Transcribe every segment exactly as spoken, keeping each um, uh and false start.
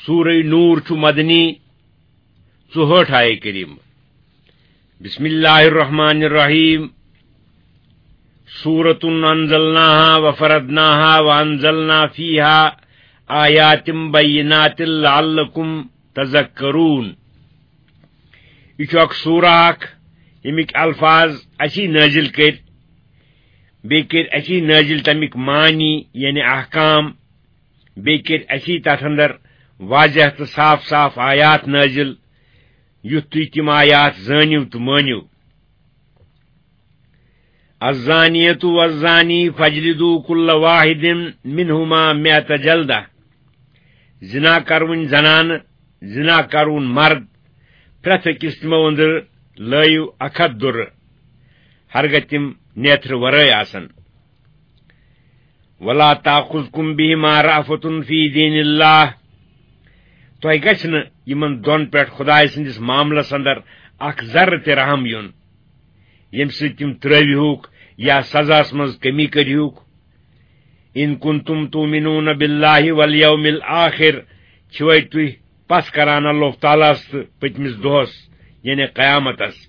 سورہ نور چھُ مدنی، ژُہٲٹھ آیہِ کریم۔ بسم اللہ الرحمن الرحیم۔ سورة انزلناها وفرضناها وانزلنا فيها آيات بينات لعلكم تذكرون۔ یہِ چھُ اکھ سورہ اکھ، ییٚمِکۍ الفاظ اسی نٲزِل کٔرۍ، بیٚیہِ کٔرۍ اسی نٲزِل تَمِکۍ معنی، یعنی احکام، بیٚیہِ کٔرۍ اسی تَتھ اندر واضح تہٕ صاف صاف آیات نٲزِل، یُتھ تُہۍ تِم آیات زٲنِو تہٕ مٲنِو۔ الزانية والزاني فاجلدوا كل واحد منهما مئة جلدة۔ زنا کرون زنانہٕ، زنا کرون مرد، پرٛٮ۪تھ أکِس تِمو أنٛدرٕ لٲیِو اکھ ہتھ دُرٕ، ہرگاہ تِم نیتھرٕ ورٲے آسن۔ ولا تأخذكم بهما رأفة في دين الله۔ تۄہہِ گژھِ نہٕ یِمن دۄن پٮ۪ٹھ خدایہِ سٕنٛدِس معاملس اندر اکھ ذرٕ تہِ رحم یُن، ییٚمہِ سۭتۍ تِم ترٲوِہوکھ یا سزاہس منٛز کمی کٔرِہوکھ۔ ان کنتم تؤمنون بالله واليوم الآخر، چھِوَے تُہۍ پژھ کران اللہ تعالیٰ ہس تہٕ پٔتمِس دۄہس، یعنی قیامتس؟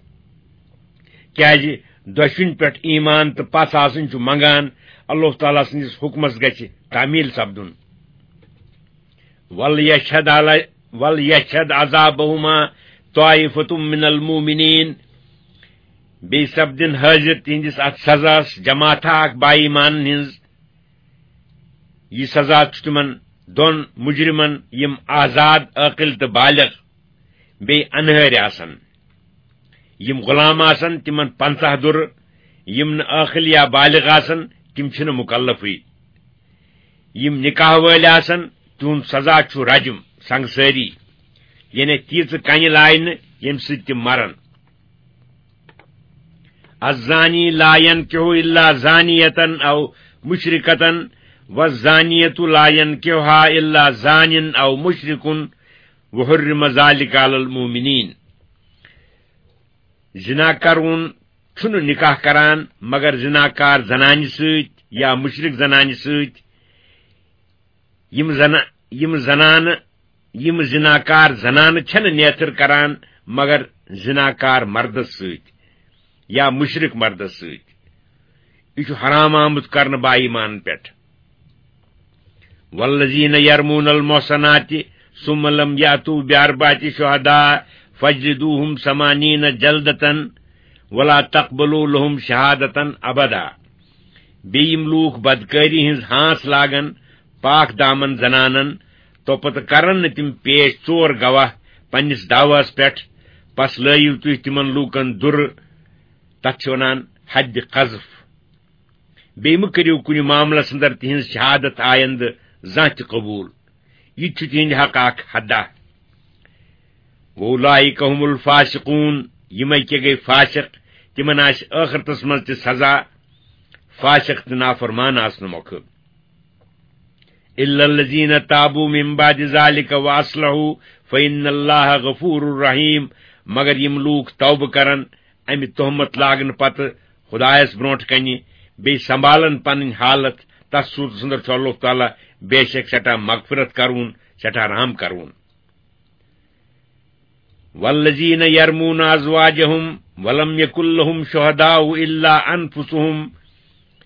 کیازِ دۄشوٕنۍ پٮ۪ٹھ ایمان تہٕ پژھ آسٕنۍ چھُ منگان اللہ تعالیٰ سٕنٛدِس حُکمس گژھِ تعمیل سپدُن۔ وليشهد علی-، وليشهد عذابهما طائفة من المؤمنين۔ بیٚیہِ سپدن حٲضِر تِہنٛدِس اتھ سزاہس جماعتھا اکھ با ایمانن ہٕنٛز۔ یہِ سزا چھُ تِمن دۄن مجرمن، یِم آزاد، عٲقل تہٕ بالغ، بیٚیہِ انہٲرۍ آسن۔ یِم غلام آسن، تِمن پنٛژاہ دُرٕ، یِم نہٕ عٲقل یا بالغ آسن، تِم چھِنہٕ مکلفٕے۔ یِم نکاح وٲلۍ آسن، تِہُنٛد سزا چھُ رجم، سنگسٲری، یعنی تیٖژٕ کنہِ لاینہٕ، ییٚمہِ سۭتۍ تِم مرن۔ الزاني لا ينكح إلا زانية أو مشركة والزانية لا ينكحها إلا زان أو مشرك وحرم ذلك على المؤمنين۔ زنا کرون چھُنہٕ نکاح کران مگر زناکار زنانہِ سۭتۍ یا مشرک زنانہِ سۭتۍ۔ یِم زنا-، یِم زنانہٕ، یِم زناکار زنانہٕ چھَنہٕ نیتھٕر کران مگر زناکار مردس سۭتۍ یا مشرک مردس سۭتۍ۔ یہِ چھُ حرام آمُت کرنہٕ با ایمان پٮ۪ٹھ۔ والذين يرمون المحصنات ثم لم يأتوا بأربعة شهداء فاجلدوهم ثمانين جلدة ولا تقبلوا لهم شهادة أبدا۔ بیٚیہِ یِم لوٗکھ بدکٲری ہٕنٛز ہانٛس لاگن پاک دامن زنانن، تو پتہٕ کرن نہٕ تِم پیش ژور گواہ پننِس دعواہس پٮ۪ٹھ، پس لٲیِو تُہۍ تِمن لوٗکن دُرٕ، تتھ چھِ ونان حد قذف۔ بیٚیہِ مہٕ کٔرِو کُنہِ معاملس اندر تِہنٛز شہادت آیندٕ زانٛہہ تہِ قبول۔ یہِ تہِ چھُ تِہنٛدِ حق اکھ حدہ۔ وَأُولَٰئِكَ هُمُ الْفَاسِقُونَ، یِمے کیٛاہ گٔے فاسق، تِمن آسہِ ٲخرتس منٛز تہِ سزا فاسق تہٕ نافرمان آسنہٕ مۄکھٕ۔ إِلَّا الَّذِينَ تَابُوا مِن بَعْدِ ذَٰلِكَ وَأَصْلَحُوا فَإِنَّ اللَّهَ غَفُورٌ رَّحِيمٌ، مگر یِم لوٗکھ توبہٕ کرن امہِ تہمت لاگنہٕ پتہٕ خدایس برونٹھ کنہِ، بیٚیہِ سنبھالن پنٕنۍ حالت، تس صورتس اندر چھُ اللہ تعالیٰ بے شک سٮ۪ٹھاہ مغفرت کرون، سٮ۪ٹھاہ رحم کرون۔ وَالَّذِينَ يَرْمُونَ أَزْوَاجَهُمْ وَلَمْ يَكُن لَّهُمْ شُهَدَاءُ إِلَّا أَنفُسُهُمْ،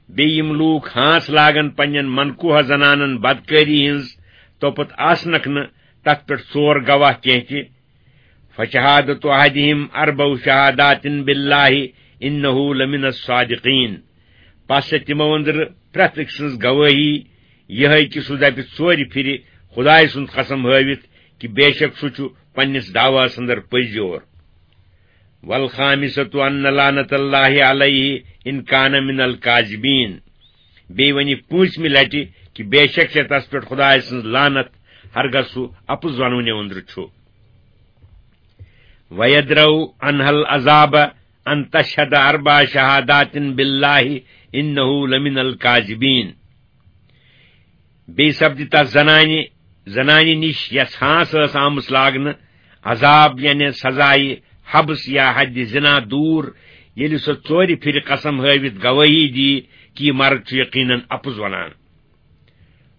بیٚیہِ یِم لوٗکھ ہانٛس لاگن پننٮ۪ن منقوہ زنانن بدکٲری ہٕنٛز، توپت آسنکھ نہٕ تتھ پٮ۪ٹھ ژور گواہ کینٛہہ تہِ، فَشَهَادَةُ أَحَدِهِمْ أَرْبَعُ شَهَادَاتٍ بِاللَّهِ إِنَّهُ لَمِنَ الصَّادِقِينَ۔ پس چھِ تِمو أنٛدرٕ پرٛٮ۪تھ أکۍ سٕنٛز گوٲہی یِہے کہِ سُہ دپہِ ژورِ پھِرِ خدایہِ سُنٛد قسم ہٲوِتھ کہِ بے شک سُہ چھُ پننِس دعواہس اندر پٔزۍ یور۔ وَالْخَامِسَةُ أَنَّ لَعْنَتَ اللَّهِ عَلَيْهِ إِنْ كَانَ مِنَ الْكَاذِبِينَ۔ بیٚیہِ وَنہِ پوٗنٛژمہِ لَٹہِ کہِ بے شک چھےٚ تَس پٮ۪ٹھ خۄداے سٕنٛز لعنت، ہرگاہ سُہ اَپُز وَنوٕنہِ أنٛدرٕ چھُ۔ وَيَدْرَأُ عَنْهَا الْعَذَابَ أَنْ تَشْهَدَ أَرْبَعَ شَهَادَاتٍ بِاللَّهِ إِنَّهُ لَمِنَ الْكَاذِبِينَ۔ بیٚیہِ سپدِ تس زنانہِ، زنانہِ نِش یس ہانس ٲس آمٕژ لاگنہٕ، عذاب یعنی سزایہِ حبس یا حدِ زنا دوٗر، ییٚلہِ سۄ ژورِ پھِرِ قسم ہٲوِتھ گوٲہی دی کہِ یہِ مرد چھُ یقیناً اپُز ونان۔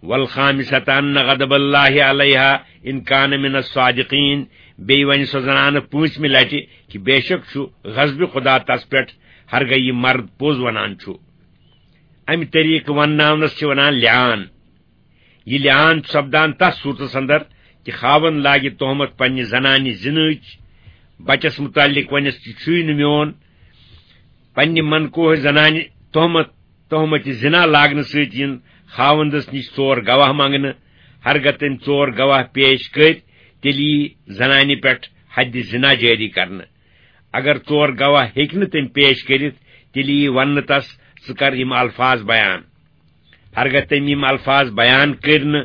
والخامسة أن غضب الله عليها إن كان من الصادقين۔ بیٚیہِ وَنہِ سۄ زنانہٕ پٲنٛژمہِ لٹہِ کہِ بے شک چھُ غضبِ خدا تس پٮ۪ٹھ، ہرگاہ یہِ مرد پوٚز ونان چھُ۔ امہِ طریقہٕ ونناونس چھِ ونان لعان۔ یہِ لعان چھُ سپدان تس صورتس اندر کہِ خاوند لاگہِ تہمت پننہِ زنانہِ زِنہٕچ، بچس متعلق ونٮ۪س، یہِ چھُے نہٕ میون، پننہِ منکوہ زنانہِ تہمت، تہمتِ زنا لاگنہٕ سۭتۍ یِن خاوندس نِش ژور گواہ منگنہٕ۔ ہرگاہ تٔمۍ ژور گواہ پیش کٔرۍ، تیٚلہِ یی زنانہِ پٮ۪ٹھ حدِ زنا جٲری کرنہٕ۔ اگر ژور گواہ ہیٚکہِ نہٕ تٔمۍ پیش کٔرِتھ، تیٚلہِ یی وننہٕ تس، ژٕ کر یِم الفاظ بیان۔ ہرگاہ تٔمۍ یِم الفاظ بیان کٔرۍ نہٕ،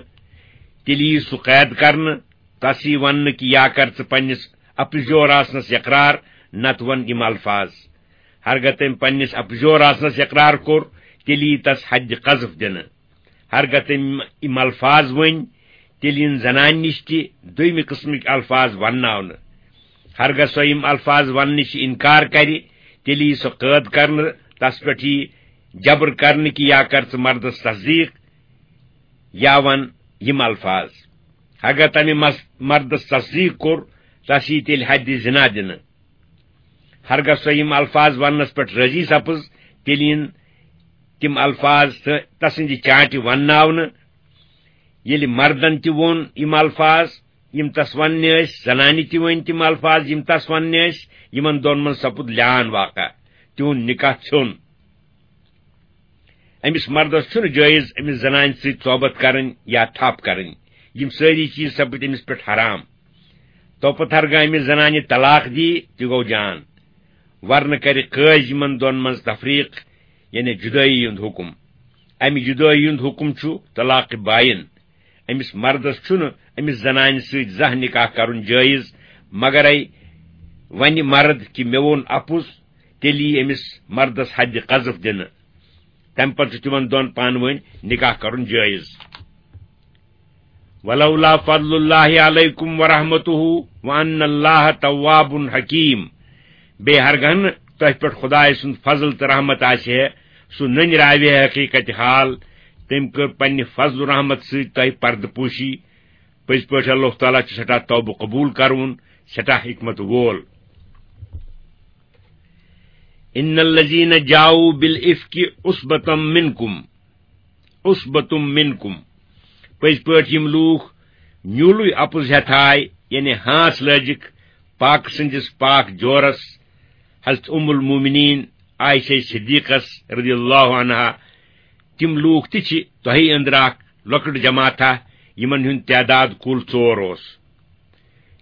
تیٚلہِ یی سُہ قید کرنہٕ، تس یی وننہٕ کہِ یا کر ژٕ پننِس اپزیور آسنس اقرار، نتہٕ ون یِم الفاظ۔ ہرگاہ تٔمۍ پننِس اپزیور آسنس اقرار کوٚر، تیٚلہِ یی تس حدِ قذف دِنہٕ۔ ہرگاہ تٔمۍ یِم الفاظ ؤنۍ، تیٚلہِ یِن زنانہِ نِش تہِ دوٚیمہِ قٕسمٕکۍ الفاظ ونناونہٕ۔ ہرگاہ سۄ یِم الفاظ وننہٕ نِش انکار کرِ، تیٚلہِ یی سۄ قٲد کرنہٕ، تس پٮ۪ٹھ یی جبر کرنہٕ کہِ یا کر ژٕ مردس تصدیق، یا ون یِم الفاظ۔ ہرگاہ تمہِ مس-، مردس تصدیق کوٚر، تس یی تیٚلہِ حدِ زنا دِنہٕ۔ ہرگاہ سۄ یِم الفاظ وننس پٮ۪ٹھ رٲضی سپٕز، تیٚلہِ یِن تِم الفاظ تہٕ تسٕنٛدِ چانٹہِ ونناونہٕ۔ ییٚلہِ مردن تہِ ووٚن یِم الفاظ، یِم تس وننہِ ٲسۍ، زنانہِ تہِ ؤنۍ تِم الفاظ، یِم تس وننہِ ٲسۍ، یِمن دۄن منٛز سپُد لعان واقع، تِہُنٛد نکاح ژھیوٚن۔ أمِس مردس چھُنہٕ جٲیز أمِس زنانہِ سۭتۍ صحبت کرٕنۍ یا تھپھ کرٕنۍ۔ یِم سٲری چیٖز سپٕدۍ أمِس پٮ۪ٹھ حرام۔ توپتہٕ ہرگاہ أمِس زنانہِ طلاق دی، تہِ گوٚو جان۔ ورنہٕ کرِ قٲضۍ یِمن دۄن منٛز تفریق، یعنی جدٲیی ہُنٛد حکم۔ امہِ جدٲیی ہُنٛد حکم چھُ طلاق باین۔ أمِس مردس چھُنہٕ أمِس زنانہِ سۭتۍ زانٛہہ نکاح کرُن جٲیز، مگرے ونہِ مرد کہِ مےٚ ووٚن اپُز، تیٚلہِ یی أمِس مردس حدِ قذف دِنہٕ۔ تمہِ پتہٕ چھُ تِمن دۄن پانہٕ ؤنۍ نکاح کرُن جٲیز۔ ولولا فضل الله عليكم ورحمته وأن الله تواب حكيم۔ بیٚیہِ ہرگاہ نہٕ تۄہہِ پٮ۪ٹھ خدایہِ سُنٛد فضل تہٕ رحمت آسہِ ہے، سُہ نٔنۍ راوِ ہے حقیقت حال۔ تٔمۍ کٔر پننہِ فضل و رحمت سۭتۍ تۄہہِ پردٕ پوشی۔ پٔزۍ پٲٹھۍ اللہ تعالیٰ چھُ سٮ۪ٹھاہ توبہٕ قبول کرون، سٮ۪ٹھاہ حکمت وول۔ ان الذين جاءوا بالافك عصبة منكم، عصبة منكم۔ پٔزۍ پٲٹھۍ یِم لوٗکھ نیوٗلٕے اپُز ہٮ۪تھ آے، یعنی ہانٛس لٲجِکھ پاک سٕنٛدِس پاک جورس، حضرت ام المومنین عائشہ صدیقس رضی اللہ عنہا۔ تِم لوٗکھ تہِ چھِ تۄہہِ أنٛدرٕ اکھ لۄکٕٹ جماعتھا، یِمن ہُنٛد تعداد کُل ژور اوس۔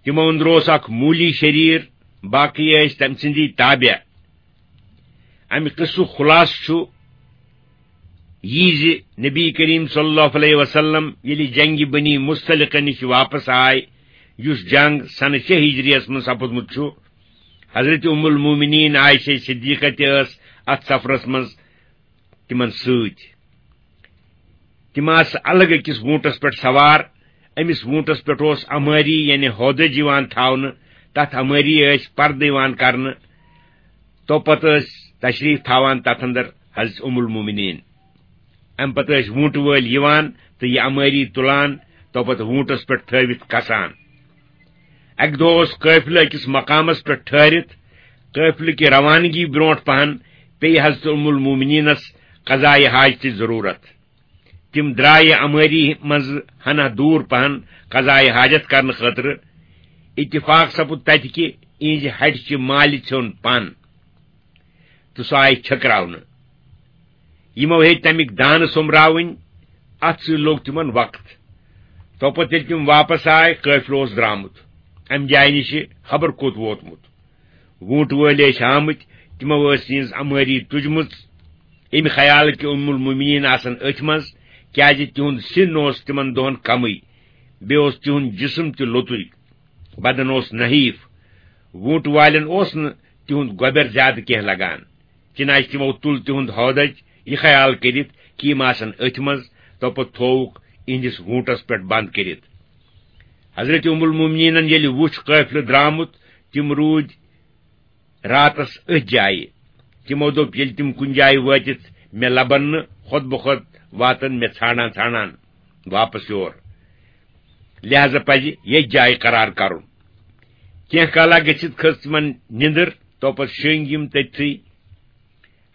تِمو أنٛدرٕ اوس اکھ مولی شریر، باقی ٲسۍ تٔمۍ سٕنٛدی تابع۔ امہِ قصُک خلاصہٕ چھُ یہِ زِ نبی کریم صلی اللہ علیہ وسلم ییٚلہِ جنگِ بنی مصطلقہ نِش واپس آے، یُس جنگ سنہٕ شےٚ ہجریَس منٛز سپُدمُت چھُ، حضرت ام المومنین عائشہ صدیقہ تہِ ٲس اتھ سفرس منٛز تِمن سۭتۍ۔ تِم آسہٕ الگ أکِس ووٗنٹس پٮ۪ٹھ سوار۔ أمِس ووٗنٹس پٮ۪ٹھ اوس امٲری، یعنی ہودج یِوان تھاونہٕ۔ تتھ امٲری ٲسۍ پردٕ یِوان کرنہٕ۔ توپتہٕ ٲسۍ تشریف تھاوان تتھ اندر حضرت ام المومنین۔ امہِ پتہٕ ٲسۍ ووٗنٹہٕ وٲلۍ یِوان تہٕ یہِ امٲری تُلان، توپتہٕ ووٗنٹس پٮ۪ٹھ تھٲوِتھ کھسان۔ اکہِ دۄہ اوس قٲفلہٕ أکِس مقامس پٮ۪ٹھ ٹھہرِتھ۔ قٲفلہٕ کہِ روانگی برونٛٹھ پہن پیٚیہِ حضرت ام المومنینس قضایہِ حاجتٕچ ضروٗرت۔ تِم درٛایہِ امٲری منٛزٕ ہنا دوٗر پہن قضایہِ حاجت کرنہٕ خٲطرٕ۔ اتفاق سپُد تتہِ کہِ اِہنٛزِ ہٹہِ چہِ مالہِ ژھیوٚن پن تہٕ سۄ آیہِ چھٔکراونہٕ۔ یِمو ہیٚتۍ تمیِکۍ دانہٕ سوٚمراوٕنۍ، اتھ سۭتۍ لوٚگ تِمن وقت۔ توپتہٕ ییٚلہِ تِم واپس آے، قٲفلہٕ اوس درامُت۔ امہِ جایہِ نِشہِ خبر کوٚت ووتمُت۔ ووٗنٛٹہٕ وٲلۍ ٲسۍ آمٕتۍ، تِمو ٲس یِہٕنٛز امٲری تُجمٕژ، امہِ خیالہٕ کہِ ام المومنین آسن أتھۍ منٛز، کیازِ تِہُنٛد سِن اوس تِمن دۄہن کمٕے، بیٚیہِ اوس تِہُنٛد جسم تہِ لوٚتُے، بدن اوس نحیف۔ ووٗنٛٹہٕ والٮ۪ن اوس نہٕ تِہُنٛد گۄبٮ۪ر زیادٕ کینٛہہ لگان، چنانچہ تِمو تُل تِہُنٛد ہودج، یہِ خیال کٔرِتھ کہِ یِم آسن أتھۍ منٛز، توپتہٕ تھووُکھ اِہنٛدِس ووٗنٛٹس پٮ۪ٹھ بند کٔرِتھ۔ حضرت ام المومنینن ییٚلہِ وُچھ قٲفلہٕ درامُت، تِم روٗدۍ راتس أتھۍ جایہِ۔ تِمو دوٚپ، ییٚلہِ تِم کُنہِ جایہِ وٲتِتھ مےٚ لبن نہٕ، خۄد بخۄد واتن مےٚ ژھانڈان ژھانڈان۔ واپس یور۔ لہذا پزِ ییٚتھۍ جایہِ قرار کرُن۔ کینٛہہ کالا گٔژھِتھ کھٔژ تِمن نِندٕر، توپتہٕ شٔنگۍ یِم تٔتھٕے۔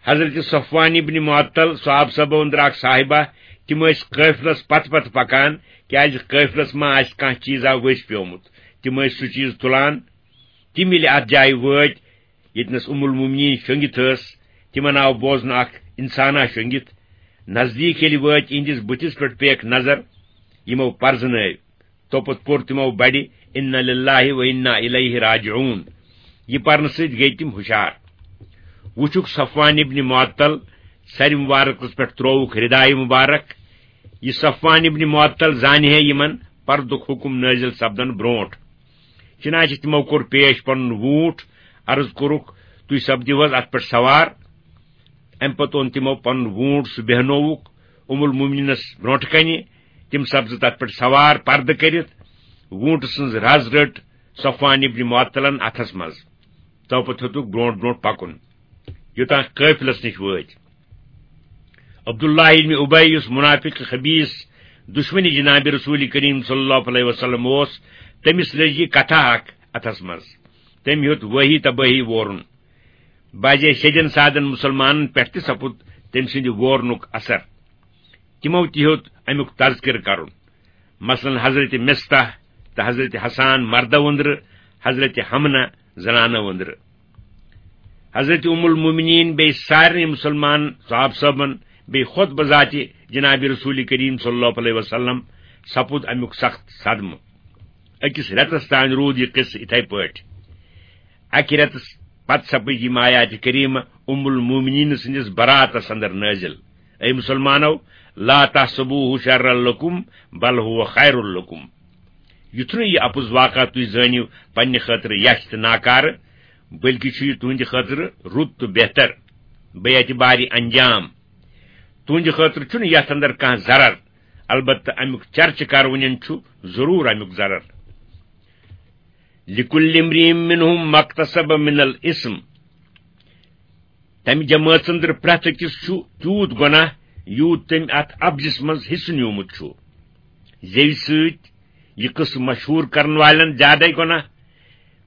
حضرت صفوان ابن معطل، صحابہ صٲبو أنٛدرٕ اکھ صاحبہ، تِم ٲسۍ قٲفلس پتہٕ پتہٕ پکان، کیازِ قٲفلس ما آسہِ کانٛہہ چیٖزا ؤسۍ پیومُت۔ تِم ٲسۍ سُہ چیٖز تُلان۔ تِم ییٚلہِ اتھ جایہِ وٲتۍ، ییٚتنس ام المومنین شۄنگِتھ ٲس، تِمن آو بوزنہٕ اکھ انسانا شۄنگِتھ۔ نزدیٖک ییٚلہِ وٲتۍ، یِہنٛدِس بٕتھِس پٮ۪ٹھ پیٚکھ نظر، یِمو پرزنٲوۍ۔ توپتہٕ پوٚر تِمو بڑِ، "انا للہ و انا الیہ راجعون"۔ یہِ پرنہٕ سۭتۍ گٔیہِ تِم ہُشار۔ وُچھُکھ صفوان ابن معطل، سرِ مبارکس پٮ۪ٹھ ترووُکھ ردایہِ مبارک۔ یہِ صفوان ابن معطل زانہِ ہے یِمن پردُک حکم نٲزِل سپدن برونٹھ۔ چنانچہ تِمو کوٚر پیش پنُن ووٗنٛٹ، عرض کوٚرُکھ، "تُہۍ سپدِو حظ اتھ پٮ۪ٹھ سوار؟" امہِ پتہٕ اوٚن تِمو پنُن ووٗنٛٹ، سُہ بیہنووُکھ ام المومنینس برونٹھ کنہِ۔ تِم سپزٕ تتھ پٮ۪ٹھ سوار، پردٕ کٔرِتھ۔ ووٗنٛٹہٕ سٕنٛز رز رٔٹ صفوان ابن معطلن اتھس منٛز۔ توپتہٕ ہیوٚتُکھ برونٹھ برونٹھ پکُن، یوٚتام قٲفلس نِش وٲتۍ۔ عبداللہ ابن ابی، یُس منافق خبیث، دشمن جناب رسول کریم صلی اللہ علیہ وسلم اوس، تٔمِس لٔج یہِ کتھا اکھ اتھس منٛز۔ تٔمۍ ہیوٚت وٲہی تبٲہی وورُن۔ بعضے شیٚدٮ۪ن سادن مسلمانن پٮ۪ٹھ تہِ سپُد تٔمۍ سٕنٛدِ وورنُک اثر۔ تِمو تہِ ہیوٚت امیُک تذکرٕ کرُن۔ مثلاً حضرت مصطح تہٕ حضرت حسان مردو أنٛدرٕ، حضرت حمنہ زنانو أنٛدرٕ۔ حضرت ام المومنین بیٚیہِ سارنٕے مسلمان صحابہ صٲبن، بیٚیہِ خود بذاتِ جناب رسول کریم صلی اللہ علیہ وسلم سپُد امیُک سخت صدمہٕ۔ أکِس رٮ۪تس تام روٗد یہِ قصہٕ یِتھے پٲٹھۍ۔ اکہِ رٮ۪تس پتہٕ سپٕدۍ یِم آیاتِ کریمہ ام المومنین سٕنٛدِس براتس اندر نٲزِل۔ اے مسلمانو، لا تحسبوه شرا لکم بل هو خیر لکم۔ یُتھ نہٕ یہِ اپُز واقعہ تُہۍ زٲنِو پننہِ خٲطرٕ یچھ تہٕ ناکارٕ، بلکہِ چھُ یہِ تُہنٛدِ خٲطرٕ رُت تہٕ بہتر۔ بے اعتبارِ انجام۔ تُہنٛدِ خٲطرٕ چھُنہٕ یتھ اندر کانٛہہ ضرر، البتہ امیُک چرچہٕ کرونٮ۪ن چھُ ضروٗر امیُک ضرر۔ لکل امرئ منہم ما اکتسب من الاثم۔ تمہِ جمٲژ اندر پرٛٮ۪تھ أکِس چھُ تیوٗت گۄناہ، یوٗت تٔمۍ اتھ اپزِس منٛز حصہٕ نیوٗمُت چھُ۔ زیوِ سۭتۍ یہِ قصہٕ مشہوٗر کرن والٮ۪ن زیادے گۄناہ،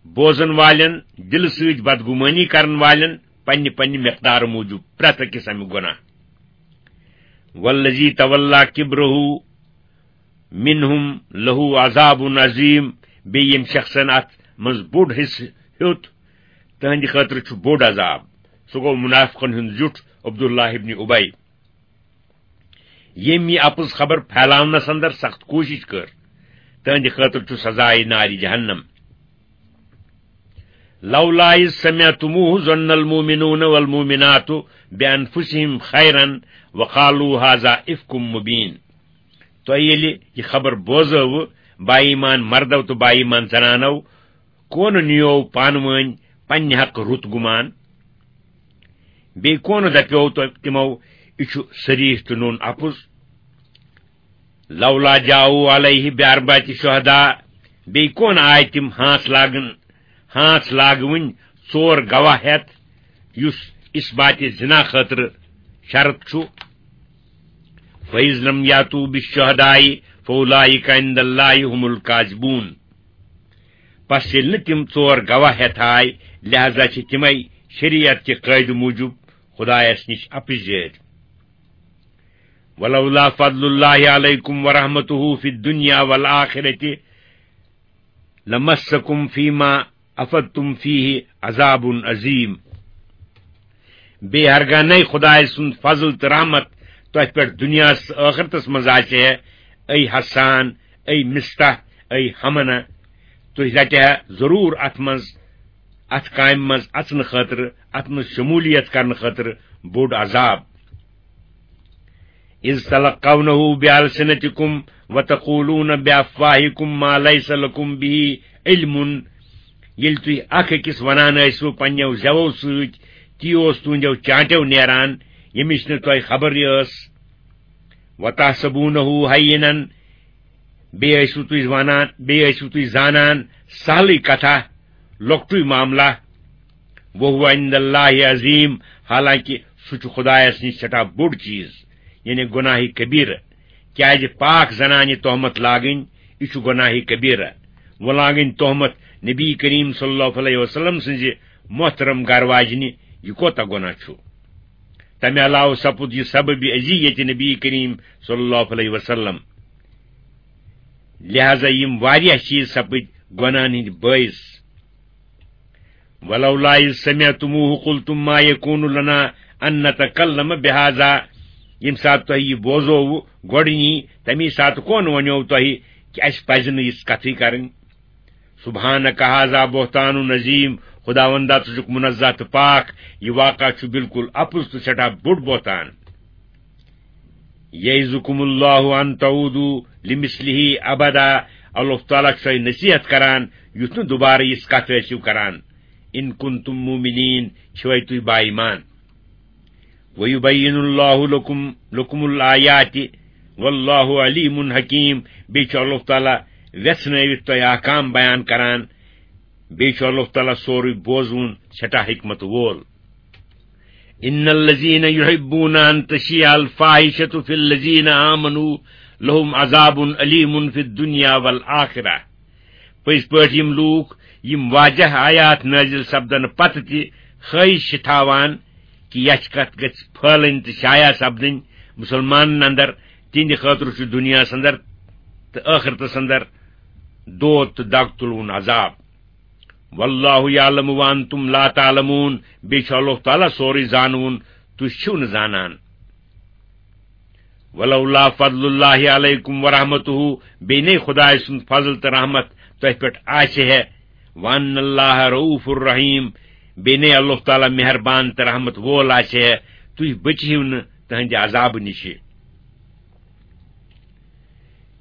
بوزن والٮ۪ن، دلہٕ سۭتۍ بدگمٲنی کرن والٮ۪ن پننہِ پننہِ مقدارٕ موٗجوٗب پرٛٮ۪تھ أکِس امیُک گۄناہ۔ والذی تولی کبرہ منہم لہ عذاب عظیم۔ بیٚیہِ ییٚمۍ شخصن اتھ منٛز بوٚڑ حصہٕ ہیوٚت، تہنٛدِ خٲطرٕ چھُ بوٚڑ عذاب۔ سُہ گوٚو منافقن ہُنٛد زیُٹھ عبداللہ ابن ابی۔ ییٚمۍ یہِ اپُز خبر پھیلاونس اندر سخت کوٗشش کٔر، تہنٛدِ خٲطرٕ چھُ سزائے نارِ جہنم۔ لولا اذ سمعتموہ ظن المؤمنون والمؤمنات بانفسہم خیرا وقالوا هذا افک مبین۔ تۄہہِ ییٚلہِ یہِ خبر بوزٲوٕ، با ایمان مردو تہٕ با ایمان زنانو، کونہٕ نیوو پانہٕ وٲنۍ پننہِ حقہٕ رُت گُمان؟ بیٚیہِ کونہٕ دپیو تۄہہِ تِمو، یہِ چھُ صریح تہٕ نوٚن اپُز؟ لولا جاؤوا علیہ باربعۃ شہداء، بیٚیہِ کونہٕ آے تِم ہانٛژھ لاگن، ہانٛژھ لاگوٕنۍ ژور گواہ ہٮ۪تھ، یُس اثباتِ زنا خٲطرٕ شرط چھُ؟ فَإِذْ لَمْ يَأْتُوا بِالشُّهَدَاءِ فَأُولَٰئِكَ عِندَ اللَّهِ هُمُ الْكَاذِبُونَ۔ پس ییٚلہِ نہٕ تِم ژور گواہ ہٮ۪تھ آے، لہذا چھِ تِمے شریعت کہِ قٲعدٕ موٗجوٗب خدایس نِش اپٕزۍ۔ وَلَوْلَا فَضْلُ اللَّهِ عَلَيْكُمْ وَرَحْمَتُهُ فِي الدُّنْيَا وَالْآخِرَةِ لَمَسَّكُمْ فِيمَا أَفَضْتُمْ فِيهِ عَذَابٌ عَظِيمٌ۔ بیٚیہِ ہرگاہ نَے خدایہِ سُنٛد فضل تہٕ رحمت تۄہہِ پٮ۪ٹھ دُنیاہَس تہٕ ٲخرتَس منٛز آسہِ ہے، اے حسان، اے مستح، اے حمنہ، تُہۍ رٹہِ ہا ضروٗر اَتھ منٛز، اَتھ کامہِ منٛز اَژنہٕ خٲطرٕ، اَتھ منٛز شموٗلیت کرنہٕ خٲطرٕ بوٚڑ عذاب۔ اذ تلقونه بألسنتكم وتقولون بأفواهكم ما ليس لكم به علم۔ ییٚلہِ تُہۍ اکھ أکِس ونان ٲسِو پننیو زٮ۪وو سۭتۍ، تی اوس تُہنٛدیو چانٹیو نیران، ییٚمِچ نہٕ تۄہہِ خبرٕے ٲس۔ وتحسبونه هينا، بیٚیہِ ٲسِو تُہۍ ونان، بیٚیہِ ٲسِو تُہۍ زانان سہلٕے کتھا، لۄکٹُے معاملہ۔ وهو عند الله عظيم، حالانکہ سُہ چھُ خدایس نِش سٮ۪ٹھاہ بوٚڑ چیٖز، یعنی گۄناہ کبیرہ۔ کیازِ پاک زنانہِ تہمت لاگٕنۍ، یہِ چھُ گۄناہہِ کبیرہ۔ وۄنۍ لاگٕنۍ تہمت نبی کریم صلی اللہ علیہ وسلم سٕنزِ محترم گرواجنہِ، یہِ کوتاہ گۄناہ چھُ؟ تمہِ علاوٕ سپُد یہِ سبب اذیت نبی کریم صلی اللہ علیہ وسلم۔ لہذا یِم واریاہ چیز سپٕدۍ گۄناہن ہٕنٛدۍ بٲعث۔ ولولا اذ سمعتموه قلتم ما يكون لنا ان نتكلم بهذا۔ ییٚمہِ ساتہٕ تۄہہِ یہِ بوزووٕ گۄڈٕنی، تَمی ساتہٕ کون وَنیو تۄہہِ کہِ اَسہِ پَزِ نہٕ یِژھ کَتھٕے کَرٕنۍ؟ سبحانک هذا بهتان عظیم۔ خداوندا، ژٕ چھُکھ منزہ تہٕ پاک، یہِ واقعہ چھُ بالکل اَپُز تہٕ سٮ۪ٹھاہ بوٚڑ بہتان۔ یعظکم اللہ ان تعودوا لمثلہ ابدا۔ اللہ تعالیٰ چھُ تۄہہِ نصیحت کران، یُتھ نہٕ دوبارٕ یِژھ کتھ ٲسِو کران۔ ان کنتم مؤمنین، چھِوے تُہۍ با ایمان۔ ویبین اللہ لکم، لکم الآیات، واللہ علیم حکیم۔ بیٚیہِ چھُ اللہ تعالیٰ ویژھنٲوِتھ تۄہہِ احکام بیان کران، بیٚیہِ چھُ اللہ تعالیٰ سورُے بوزوُن، سٮ۪ٹھاہ حکمت وول۔ ان الذين يحبون ان تشيع الفاحشة في الذين آمنوا لهم عذاب اليم في الدنيا والآخرة۔ پٔزۍ پٲٹھۍ یِم لوٗکھ، یِم واضح آیات نٲزِل سپدنہٕ پتہٕ تہِ خٲہِش چھِ تھاوان کہِ یَچھِ کَتھ گژھِ پھٲلٕنۍ تہٕ شایع سپدٕنۍ مُسلمانَن اندر، تِہنٛدِ خٲطرٕ چھُ دُنیاہَس اندر تہٕ ٲخرتَس اندر دود تہٕ دگ تُلوُن عذاب۔ واللہ یعلم وانتم لا تعلمون۔ بیٚیہِ چھُ اللہ تعالیٰ سورُے زانوُن، تُہۍ چھِو نہٕ زانان۔ ولولا فضل اللہ علیکم ورحمتہ۔ بیٚیہِ نے خدائے سُنٛد فضل تہٕ رحمت تۄہہِ پٮ۪ٹھ آسہِ ہے۔ وان اللہ رؤوف الرحیم۔ بیٚیہِ نے اللہ تعالیٰ مہربان تہٕ رحمت وول آسہِ ہے، تُہۍ بٔچِہِو نہٕ تٕہنٛدِ عذابہٕ نِشہِ۔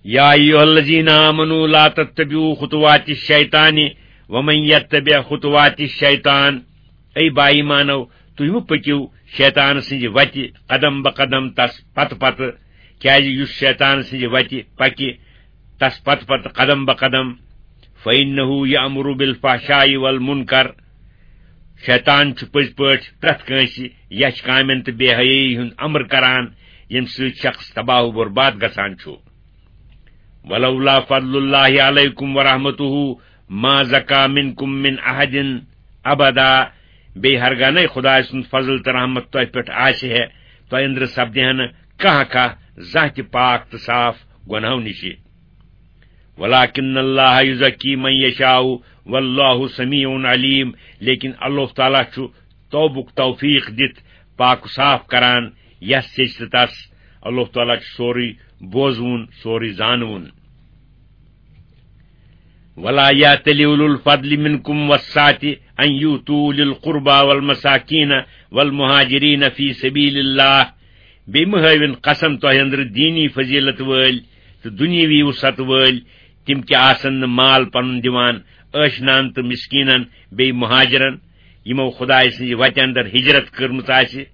یا ایھا الذین آمنوا لا تتبعوا خطوات الشیطان ومن یتبع خطوات الشیطان۔ اے با ایمانو، تُہۍ مہٕ پٔکِو شیطان سٕنٛزِ وتہِ قدم بہ قدم تس پتہٕ پتہٕ، کیازِ یُس شیطان سٕنٛزِ وتہِ پکہِ تس پتہٕ پتہٕ قدم بہ قدم، فإنه یأمر بالفحشاء والمنکر۔ شیطان چھُ پٔزۍ پٲٹھۍ پرٛٮ۪تھ کٲنٛسہِ یَچھِ کامٮ۪ن تہٕ بے حیٲیی ہُنٛد امر کران، ییٚمہِ سۭتۍ شخص تباہ و برباد گژھان چھُ۔ ولولا فضل اللہ علیکم ورحمتہ ما زکا منکم من احد ابدا۔ بیٚیہِ ہرگاہ نے خدائے سُنٛد فضل تہٕ رحمت تۄہہِ پٮ۪ٹھ آسہِ ہے، تۄہہِ أنٛدرٕ سپدِ ہا نہٕ کانٛہہ کانٛہہ زانٛہہ تہِ پاک تہٕ صاف گۄناہو نِشہِ۔ ولکن اللہ یزکی من یشاء واللہ سمیع علیم۔ لیکن اللہ تعالیٰ چھُ توبُک توفیق دِتھ پاک و صاف کران یس یژھِ تس۔ اللہ تعالیٰ چھُ سورُے بوزوُن، سورُے زانوُن۔ ولا یأتل اولو الفضل منکم والسعة ان یؤتوا اولي القربى والمساکین والمہاجرین فی سبیل اللہ۔ بیٚیہِ مہٕ ہٲوِن قسم تۄہہِ أنٛدرٕ دینی فضیلت وٲلۍ تہٕ دُنیاوی وسعت وٲلۍ، تِم کیٛاہ آسن نہٕ مال پنُن دِوان ٲشنان تہٕ مسکیٖنن، بیٚیہِ مہاجرن، یِمو خدایہِ سٕنٛزِ وتہِ اندر ہجرت کٔرمٕژ آسہِ۔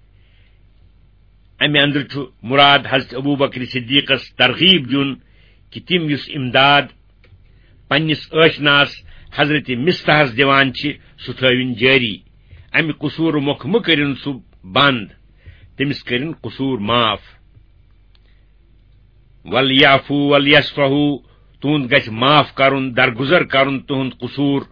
امہِ اندرٕ چھُ مراد حضرت ابوبکر صدیقس ترغیب دیُن کہِ تِم یُس امداد پننِس ٲشناس حضرت مصطحس دِوان چھِ، سُہ تھٲوِن جٲری۔ امہِ قصوٗرٕ مۄکھٕ مہٕ کٔرِن سُہ بنٛد، تٔمِس کٔرِن قصوٗر معاف۔ ولیعفوا ولیصفحوا، تُہُنٛد گژھِ معاف کرُن، درگُزر کرُن تُہُنٛد قصوٗر۔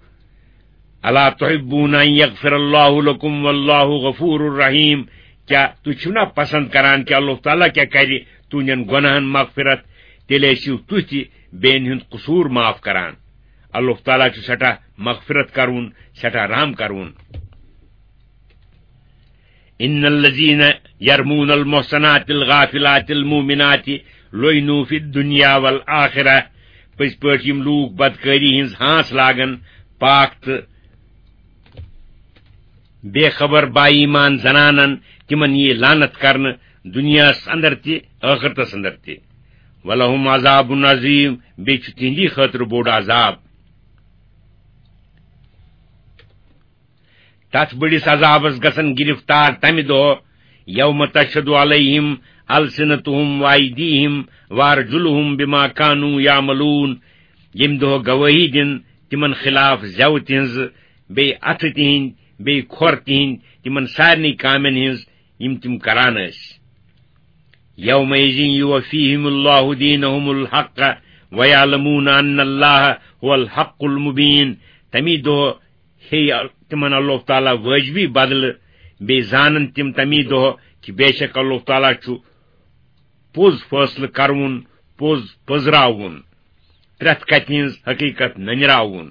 الا تحبون ان یغفر اللہ لکم واللہ غفور رحیم۔ کیا تُہۍ چھِو نا پسند کران کہِ اللہ تعالیٰ کیا کرِ تُہنٛدٮ۪ن گۄناہن مغفرت؟ تیٚلہِ ٲسِو تُہۍ تہِ بیٚین ہُنٛد قصوٗر معاف کران۔ اللہ تعالیٰ چھُ سٮ۪ٹھاہ مغفرت کرون، سٮ۪ٹھاہ رحم کرون۔ ان الذین یرمون المحصنات الغافلات المؤمنات لعنوا فی الدنیا والآخرہ۔ پٔزۍ پٲٹھۍ یِم لوٗکھ بدکٲری ہٕنٛز ہانٛس لاگن پاک تہٕ بے خبر با ایمان زنانن، تِمن یی لعنت کرنہٕ دُنیاہس اندر تہِ، ٲخرتس اندر تہِ۔ ولہم عذاب عظیم، بیٚیہِ چھُ تِہنٛدی خٲطرٕ بوٚڑ عذاب۔ تتھ بٔڑِس عذابس گژھن گرفتار تمہِ دۄہ، یوم تشہد علیہم السنتہم وایدیہم وارجلہم بما کانوا یعملون، ییٚمہِ دۄہ گوٲہی دِن تِمن خلاف زٮ۪وٕ تِہنٛزٕ، بیٚیہِ اَتھٕ تِہنٛدۍ، بیٚیہِ کھۄر تِہنٛدۍ، تِمن سارنٕے کامٮ۪ن ہٕنٛز یِم تِم کران ٲسۍ۔ یومئذ یوفیہم اللہ دینہم الحق ویعلمون ان اللہ هو الحق المبین۔ تمی دۄہ ہیٚیہِ تِمن اللہ تعالیٰ وٲجبی بدلہٕ، بیٚیہِ زانن تِم تمی دۄہ کہِ بے شک اللہ تعالیٰ چھُ پوٚز فٲصلہٕ کرون، پوٚز پٔزراوُن، پرٛٮ۪تھ کتھِ ہٕنٛز حقیقت نٔنراوُن۔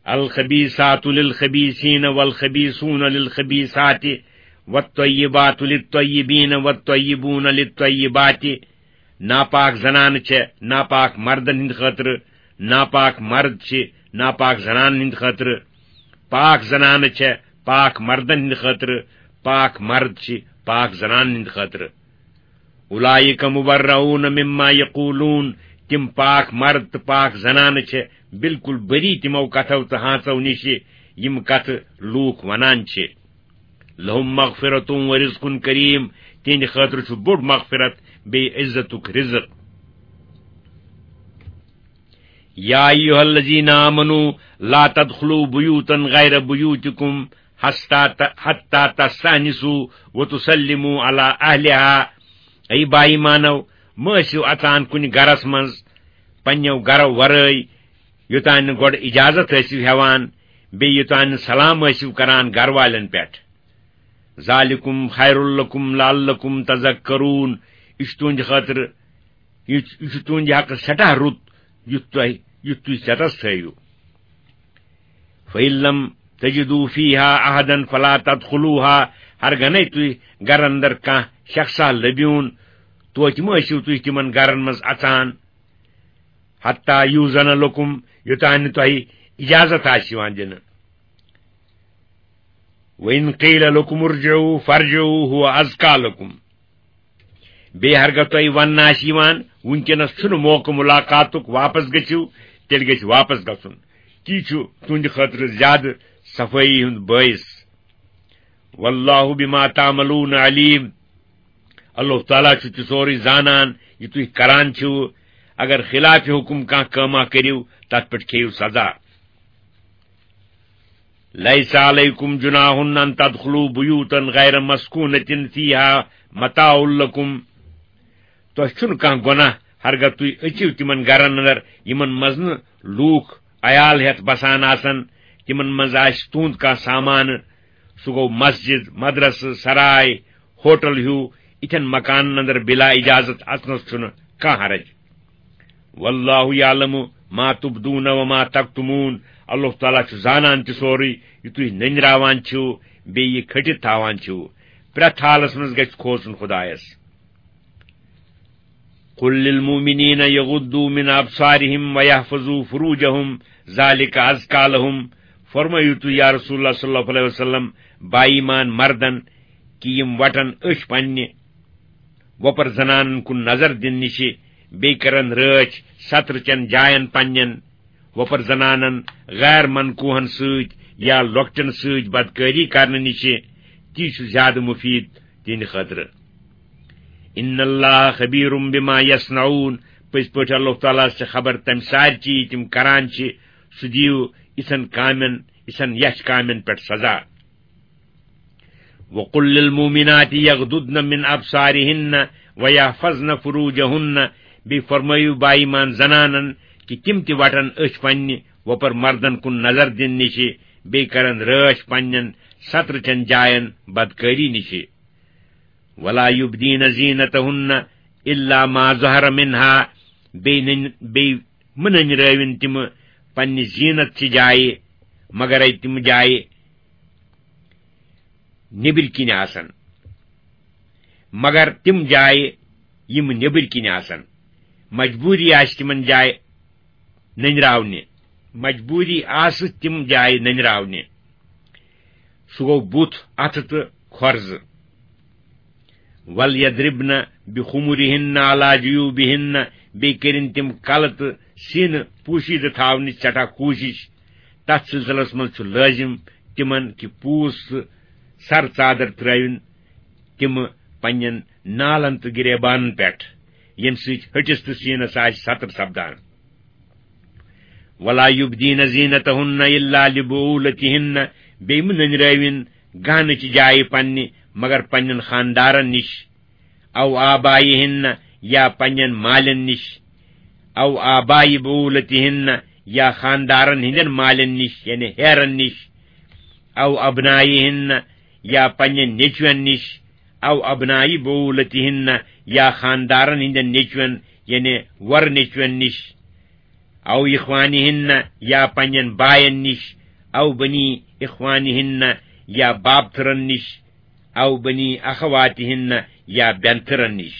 الخبیثات للخبیثین والخبیثون للخبیثات والطیبات للطیبین والطیبون للطیبات۔ ناپاک زنانہٕ چھےٚ ناپاک مردن ہٕنٛدِ خٲطرٕ، ناپاک مرد چھِ ناپاک زنانن ہٕنٛدِ خٲطرٕ، پاک زنانہٕ چھےٚ پاک مردن ہٕنٛدِ خٲطرٕ، پاک مرد چھِ پاک زنانن ہٕنٛدِ خٲطرٕ۔ اولئک مبرؤون مما یقولون، تِم پاک مرد تہٕ پاک زنانہٕ چھےٚ بالکل بری تِمو کتھو تہٕ ہانژو نِشہِ، یِم کتھٕ لوٗکھ ونان چھِ۔ لہم مغفرۃ و رزق کریم، تِہنٛدِ خٲطرٕ چھُ بوٚڑ مغفرت بیٚیہِ عزتُک رزق۔ یا ایھا الذین آمنوا لا تدخلوا بیوتا غیر بیوتکم حتی تستأنسوا و تسلموا علی اہلہا۔ اے با ایمانو، مہ ٲسِو اژان کُنہِ گرس منٛز پننیو گرو ورٲے، یوٚتام نہٕ گۄڈٕ اجازت ٲسِو ہٮ۪وان، بیٚیہِ یوٚتام نہٕ سلام ٲسِو کران گرٕ والٮ۪ن پٮ۪ٹھ۔ ذالکم خیر لکم لعلکم تذکرون۔ یہِ چھُ تُہنٛدِ خٲطرٕ، یہِ چھُ، یہِ چھُ تُہنٛدِ حقہٕ سٮ۪ٹھاہ رُت، یُتھ تۄہہِ، یُتھ تُہۍ ژٮ۪تس تھٲیِو۔ فَإِن لَمْ تَجِدُوا فِيهَا أَحَدًا فَلَا تَدْخُلُوهَا۔ ہرگنے تُہۍ گرن اندر کانٛہہ شخصا لٔبِوُن، توتہِ مہ ٲسِو تُہۍ تِمن گرن منٛز اژان، حتیٰ یوٗزَنَ لَکُم، یوٚتام نہٕ تۄہہِ اجازت آسہِ یِوان دِنہٕ۔ وَإِن قِیلَ لَکُمُ ارْجِعُوا فَارْجِعُوا هُوَ أَزْکَیٰ لَکُم۔ بیٚیہِ ہرگاہ تۄہہِ وننہٕ آسہِ یِوان، وٕنکیٚنس چھُنہٕ موقعہٕ ملاقاتُک، واپس گٔژھِو، تیٚلہِ گژھِ واپس گژھُن۔ تی چھُ تُہنٛدِ خٲطرٕ زیادٕ صفٲیی ہُنٛد بٲعث۔ واللہ بما تعملون علیم۔ اللہ تعالیٰ چھُ تہِ سورُے زانان، یہِ تُہۍ کران چھِو۔ اگر خلاف حکم کانٛہہ کٲمہ کٔرِو، تتھ پٮ۪ٹھ کھیٚیِو سزا۔ لیس علیکم جناح ان تدخلوا بیوتا غیر مسکونۃ فیہا متاع لکم۔ تۄہہِ چھُنہٕ کانٛہہ گۄناہ ہرگاہ تُہۍ أژِو تِمن گرن اندر، یِمن منٛز نہٕ لوٗکھ عیال ہٮ۪تھ بسان آسن، تِمن منٛز آسہِ تُہُنٛد کانٛہہ سامانہٕ، سُہ گوٚو مسجد، مدرسہٕ، سراے، ہوٹل ہیوٗ، یِتھٮ۪ن مکانن اندر بلا اجازت اژنس چھُنہٕ کانٛہہ حرج۔ واللہ یعلم ما تبدون وما تکتمون۔ اللہ تعالیٰ چھُ زانان تہِ سورُے، یہِ تُہۍ نٔنراوان چھِو، بیٚیہِ یہِ کھٔٹِتھ تھاوان چھِو۔ پرٛٮ۪تھ حالس منٛز گژھِ کھوژُن خدایس۔ قل للمؤمنین یغضوا من ابصارہم ویحفظوا فروجہم ذالک ازکی لہم۔ فرمٲیِو تُہۍ یا رسول اللہ صلی اللہ علیہ وسلم، با ایمان مردن، کہِ یِم وٹن أچھ پننہِ وۄپر زنانن کُن نظر دِنہٕ نِشہِ، بیٚیہِ کرن رٲچھ سترٕ چٮ۪ن جاین پننٮ۪ن وۄپر زنانن غیر منکوہن سۭتۍ یا لۄکٹٮ۪ن سۭتۍ بدکٲری کرنہٕ نِشہِ، تی چھُ زیادٕ مفید تِہنٛدِ خٲطرٕ۔ ان اللہ خبیر بما یصنعون، پٔزۍ پٲٹھۍ اللہ تعالیٰ ہس چھِ خبر تمہِ سارِ چیٖز تِم کران چھِ، سُہ دِیِو یِژھن کامٮ۪ن، یِژھن یچھ کامٮ۪ن پٮ۪ٹھ سزا۔ وقل للمؤمنات یغضضن من ابصارہن ویحفظن فروجہن، بیٚیہِ فرمٲیِو با ایمان زنانن کہِ تِم تہِ وٹن أچھ پننہِ وۄپر مردن کُن نظر دِنہٕ نِشہِ، بیٚیہِ کرن رٲچھ پننٮ۪ن سترٕ چٮ۪ن جاین بدکٲری نِشہِ۔ ولا یبدین زینتہن الا ما ظہر منہا، بیٚیہِ نٔنۍ-، بیٚیہِ مہٕ نٔنرٲوِن تِم پننہِ زینت چہِ جایہِ، مگر تِم جایہِ نیٚبٕرۍ کِنۍ آسن، مگر تِم جایہِ یِم نیٚبٕرۍ کِنۍ آسن، مجبوٗری آسہِ تِمن جایہِ نٔنراونہِ، مجبوٗری آسہٕ تِم جایہِ نٔنراونہِ۔ سُہ گوٚو بُتھ، اَتھٕ تہٕ کھۄر زٕ۔ وَلْیَضْرِبْنَ بِخُمُرِهِنَّ عَلَى جُیُوبِهِنَّ، بیٚیہِ کٔرِن تِم کَلہٕ تہٕ سیٖنہٕ پوٗشیٖدٕ تھاونٕچ سٮ۪ٹھاہ کوٗشِش۔ تَتھ سلسلس منٛز چھُ لٲزِم تِمن کہِ پوٗس تہٕ سر ژادر ترٲوِن تِم پننٮ۪ن نالن تہٕ گریبانن پٮ۪ٹھ، ییٚمہِ سۭتۍ ۂٹِس تہٕ سیٖنس آسہِ ستر سپدان۔ وَلَا یُبْدِینَ زِینَتَہُنَّ إِلَّا لِبُعُولَتِهِنَّ، بیٚیہِ مہٕ نٔنرٲوِن گہنہٕ چہِ جایہِ پننہِ مگر پننٮ۪ن خاندارن نِش۔ او آبائہن، یا پننٮ۪ن مالٮ۪ن نِش، او آبائی بعولتہن، یا خاندارن ہٕنٛدٮ۪ن مالٮ۪ن نِش، یعنی ہیرن نِش، او ابنائہن، یا پننٮ۪ن نیٚچوٮ۪ن نِش، او ابنائی بعولتہن، یا خاندارن ہٕنٛدٮ۪ن نیٚچوٮ۪ن، یعنی وۄر نیٚچوٮ۪ن نِش، او اخوانہن، یا پننٮ۪ن باین نِش، او بنی اخوانہن، یا بابتھرن نِش، او بنی اخواتہن، یا بینتھرن نِش،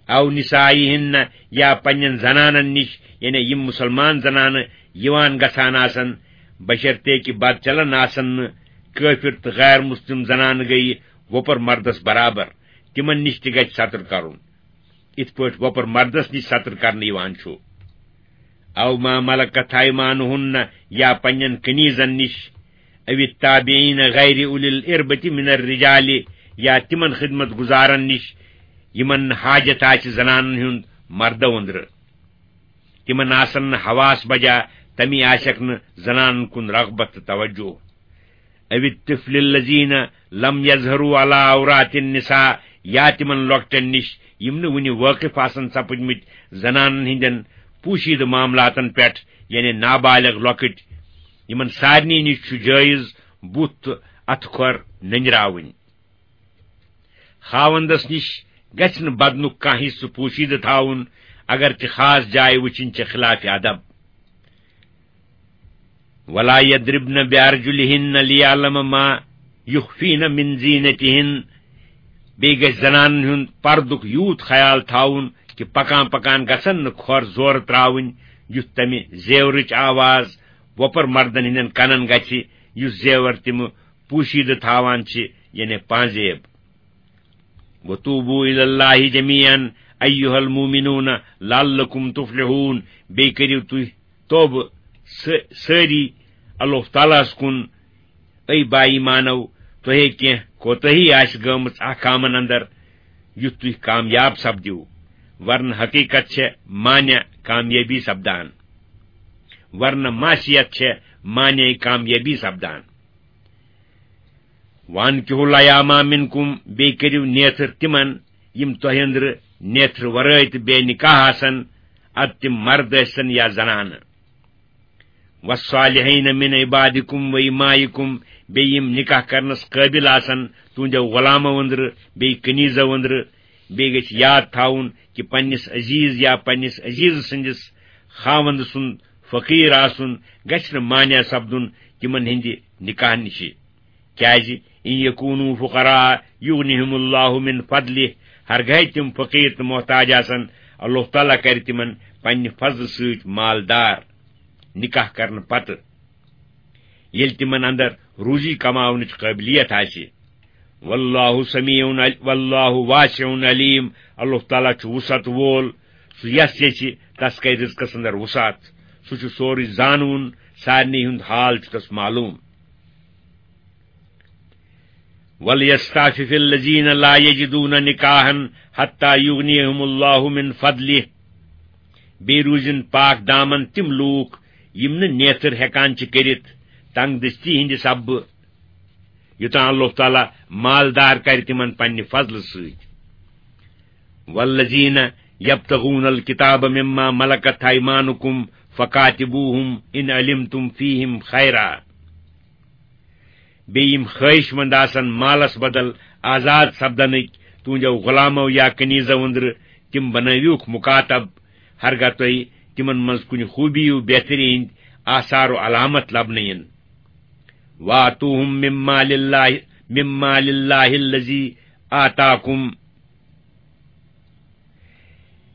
او نسائہن، یا پننٮ۪ن زنانن نِش، یعنی یِم مسلمان زنانہٕ یِوان گژھان آسن، بشرطے کہِ بد چلان آسن نہٕ۔ کٲفر تہٕ غیر مسلم زنانہٕ گٔیہِ وۄپر مردس برابر، تِمن نِش تہِ گژھِ ستر کرُن، یِتھ پٲٹھۍ وۄپر مردس نِش ستر کرنہٕ یِوان چھُ۔ او ما ملکت ایمانہن، یا پننٮ۪ن کنیزن نِش، او التابعین غیر اولی الاربۃ من الرجال، یا تِمن خدمت گزارن نِش یِمن نہٕ حاجت آسہِ زنانن ہُنٛد مردو أنٛدرٕ۔ تِمن آسن نہٕ حواس بجا، تمی آسٮ۪کھ نہٕ زنانن کُن رغبت تہٕ توجہ۔ او الطفل الذین لم یظہروا علی عورات النساء، یا تِمن لۄکٹٮ۪ن نِش یِم نہٕ وُنہِ وٲقف آسن سپٕدمٕتۍ زنانن ہٕنٛدٮ۪ن پوشیدٕ معاملاتن پٮ۪ٹھ، یعنی نابالغ لۄکٕٹۍ، یِمن سارنٕے نِش چھُ جٲیز بُتھ تہٕ اتھٕ کھۄر نٔنراوٕنۍ۔ خاوندس نِش گژھِ نہٕ بدنُک کانٛہہ حصہٕ پوشیدٕ تھاوُن، اگر تہِ خاص جایہِ وٕچھِنۍ چھِ خلاف ادب۔ ولا یضربن بارجلہن لیعلم ما یخفین من زینتہن۔ بیٚیہِ گژھِ زنانن ہُنٛد پردُک یوٗت خیال تھاوُن کہِ پکان پکان گژھن نہٕ کھۄر زورٕ تراوٕنۍ، یُتھ تمہِ زیورٕچ آواز وۄپر مردن ہٕنٛدٮ۪ن کنن گژھِ، یُس زیور تِمہٕ پوشیدٕ تھاوان چھِ، یعنی پانزیب۔ وتوبوا الی اللہ جمیعا ایھا المؤمنون لعلکم تفلحون۔ بیٚیہِ کٔرِو تُہۍ توبہٕ س-، سٲری اللہ تعالیٰ ہس کُن، اے با ایمانو، تۄہے کینٛہہ کوتٲہی آسہِ گٔمٕژ احکامن اندر، یُتھ تُہۍ کامیاب سپدِو۔ ورنہٕ حقیقت چھےٚ مانع کامیٲبی سپدان، ورنہٕ معصیت چھےٚ مانع کامیٲبی سپدان۔ وانکحوا الایامی منکم، بیٚیہِ کٔرِو نیتھر تِمن، یِم تۄہہِ أنٛدرٕ نیتھر ورٲے تہٕ بے نکاح آسن، ادٕ تِم مرد ٲسِن یا زنانہٕ۔ والصالحین من عبادکم و امائکم، بیٚیہِ یِم نکاح کرنس قٲبل آسن تُہنٛدیو غلامو أنٛدرٕ، بیٚیہِ کنیزو أنٛدرٕ۔ بیٚیہِ گژھِ یاد تھاوُن کہِ پننِس عزیز یا پننِس عزیز سٕنٛدِس خاوند سُنٛد فقیٖر آسُن گژھِ نہٕ مانع سپدُن تِمن ہٕنٛدِ نکاح نِشہِ۔ کیازِ، ان یکونوا فقراء یغنہم اللہ من فضلہ، ہرگاہ تِم فقیٖر تہٕ محتاج آسن، اللہ تعالیٰ کرِ تِمن پننہِ فضلہٕ سۭتۍ مالدار نکاح کرنہٕ پتہٕ، ییٚلہِ تِمن اندر روزی کماونٕچ قٲبلیت آسہِ۔ واللہ سمیع عل-، واللہ واسع علیم، اللہ تعالیٰ چھُ وسعت وول، سُہ یس یژھِ تس کرِ رزقس اندر وسعت، سُہ چھُ سورُے زانوُن، سارنٕے ہُنٛد حال چھُ تس معلوم۔ وَلْيَسْتَعْفِفِ الَّذِينَ لَا يَجِدُونَ نِكَاحًا حَتَّىٰ يُغْنِيَهُمُ اللَّهُ مِنْ فَضْلِهِ۔ بیٚیہِ روٗزِن پاک دامن تِم لوٗکھ یِم نہٕ نیتھٕر ہٮ۪کان چھِ کٔرِتھ تنگ دستی ہٕنٛدِ سببہٕ، یوٚتام اللہ تعالیٰ مالدار کرِ تِمن پننہِ فضلہٕ سۭتۍ۔ وَالَّذِينَ يَبْتَغُونَ الْكِتَابَ مِمَّا مَلَكَتْ أَيْمَانُكُمْ فَكَاتِبُوهُمْ إِنْ عَلِمْتُمْ فِيهِمْ خَيْرًا۔ بیٚیہِ یِم خٲہِش مند آسن مالس بدل آزاد سپدنٕکۍ تُہنٛدیو غلامو یا کنیزو أنٛدرٕ، تِم بنٲوِوکھ مُکاتب، ہرگاہ تۄہہِ تِمن منٛز کُنہِ خوٗبی و بہتری ہٕنٛدۍ آثار و علامت لبنہٕ یِن۔ وَآتُوهُمْ مِن مَّالِ اللَّهِ، مِن مَّالِ اللَّهِ الَّذِي آتَاكُمْ۔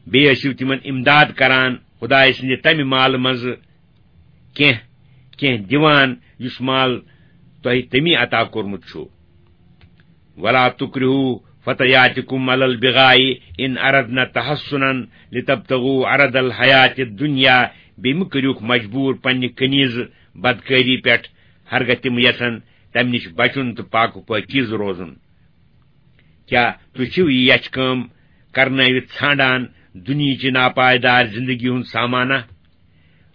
بیٚیہِ ٲسِو تِمن امداد کران خدایہِ سٕنٛدِ تمہِ مالہٕ منٛزٕ کینٛہہ، کینٛہہ دِوان، یُس مال تۄہہِ تٔمی عطا کوٚرمُت چھُ۔ وَلَا تُكْرِهُوا فَتَيَاتِكُمْ عَلَى الْبِغَاءِ إِنْ أَرَدْنَ تَحَصُّنًا لِتَبْتَغُوا عَرَضَ الْحَيَاةِ الدُّنْيَا۔ بیٚیہِ مہٕ کٔرِوکھ مجبوٗر پننہِ کنیزٕ بدکٲری پٮ۪ٹھ، ہرگاہ تِم یژھن تمہِ نِش بچُن تہٕ پاک و پٲکیٖزٕ روزُن۔ کیٛاہ تُہۍ چھِو یہِ یَچھِ کٲم کرنٲوِتھ ژھانڈان دُنیہٕچہِ ناپائیدار زندگی ہُنٛد سامانہ؟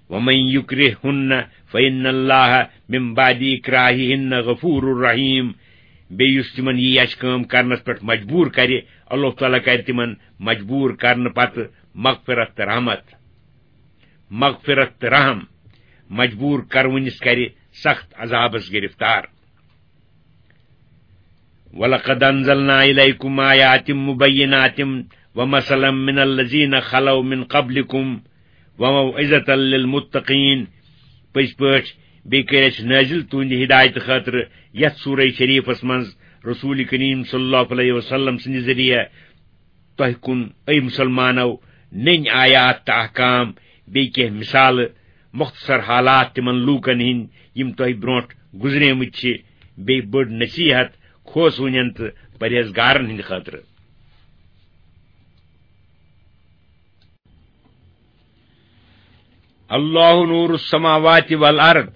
وَمَن يُكْرِههُنَّ فَإِنَّ اللَّهَ مِن بَعْدِ إِكْرَاهِهِنَّ غَفُورٌ رَّحِيمٌ۔ بیٚیہِ یُس تِمن یہِ یَچھِ کٲم کرنس پٮ۪ٹھ مجبوٗر کرِ، اللہ تعالیٰ کرِ تِمن مجبوٗر کرنہٕ پتہٕ مغفرت تہٕ رحمت۔ مغفرت تہٕ رحم، مجبوٗر کرونِس کرِ سخت عذابس گرفتار۔ وَلَقَدْ أَنزَلْنَا إِلَيْكُمْ آيَاتٍ مُبَيِّنَاتٍ وَمَثَلًا مِنَ الَّذِينَ خَلَوْا مِنْ قَبْلِكُمْ وَمَوْعِظَةً لِلْمُتَّقِينَ۔ پٔزۍ پٲٹھۍ بیٚیہِ کٔرۍ اَسہِ نٲزِل تُہنٛدِ ہدایتہٕ خٲطرٕ یَتھ سورہ شریٖفَس منٛز رسول کریم صلی اللہ علیہ وسلم سٕنٛدِ ذٔریعہٕ تۄہہِ کُن، اے مُسلمانو، نٔنۍ آیات تہٕ احکام، بیٚیہِ کینٛہہ مثالہٕ، مختصر حالات تِمن لوٗکن ہٕنٛدۍ، یِم تۄہہِ برونٛٹھ گُزریمٕتۍ چھِ، بیٚیہِ بٔڑ نصیحت کھوژوٕنٮ۪ن تہٕ پرہیزگارن ہٕنٛدِ خٲطرٕ۔ اللہ نور السماوات والارض،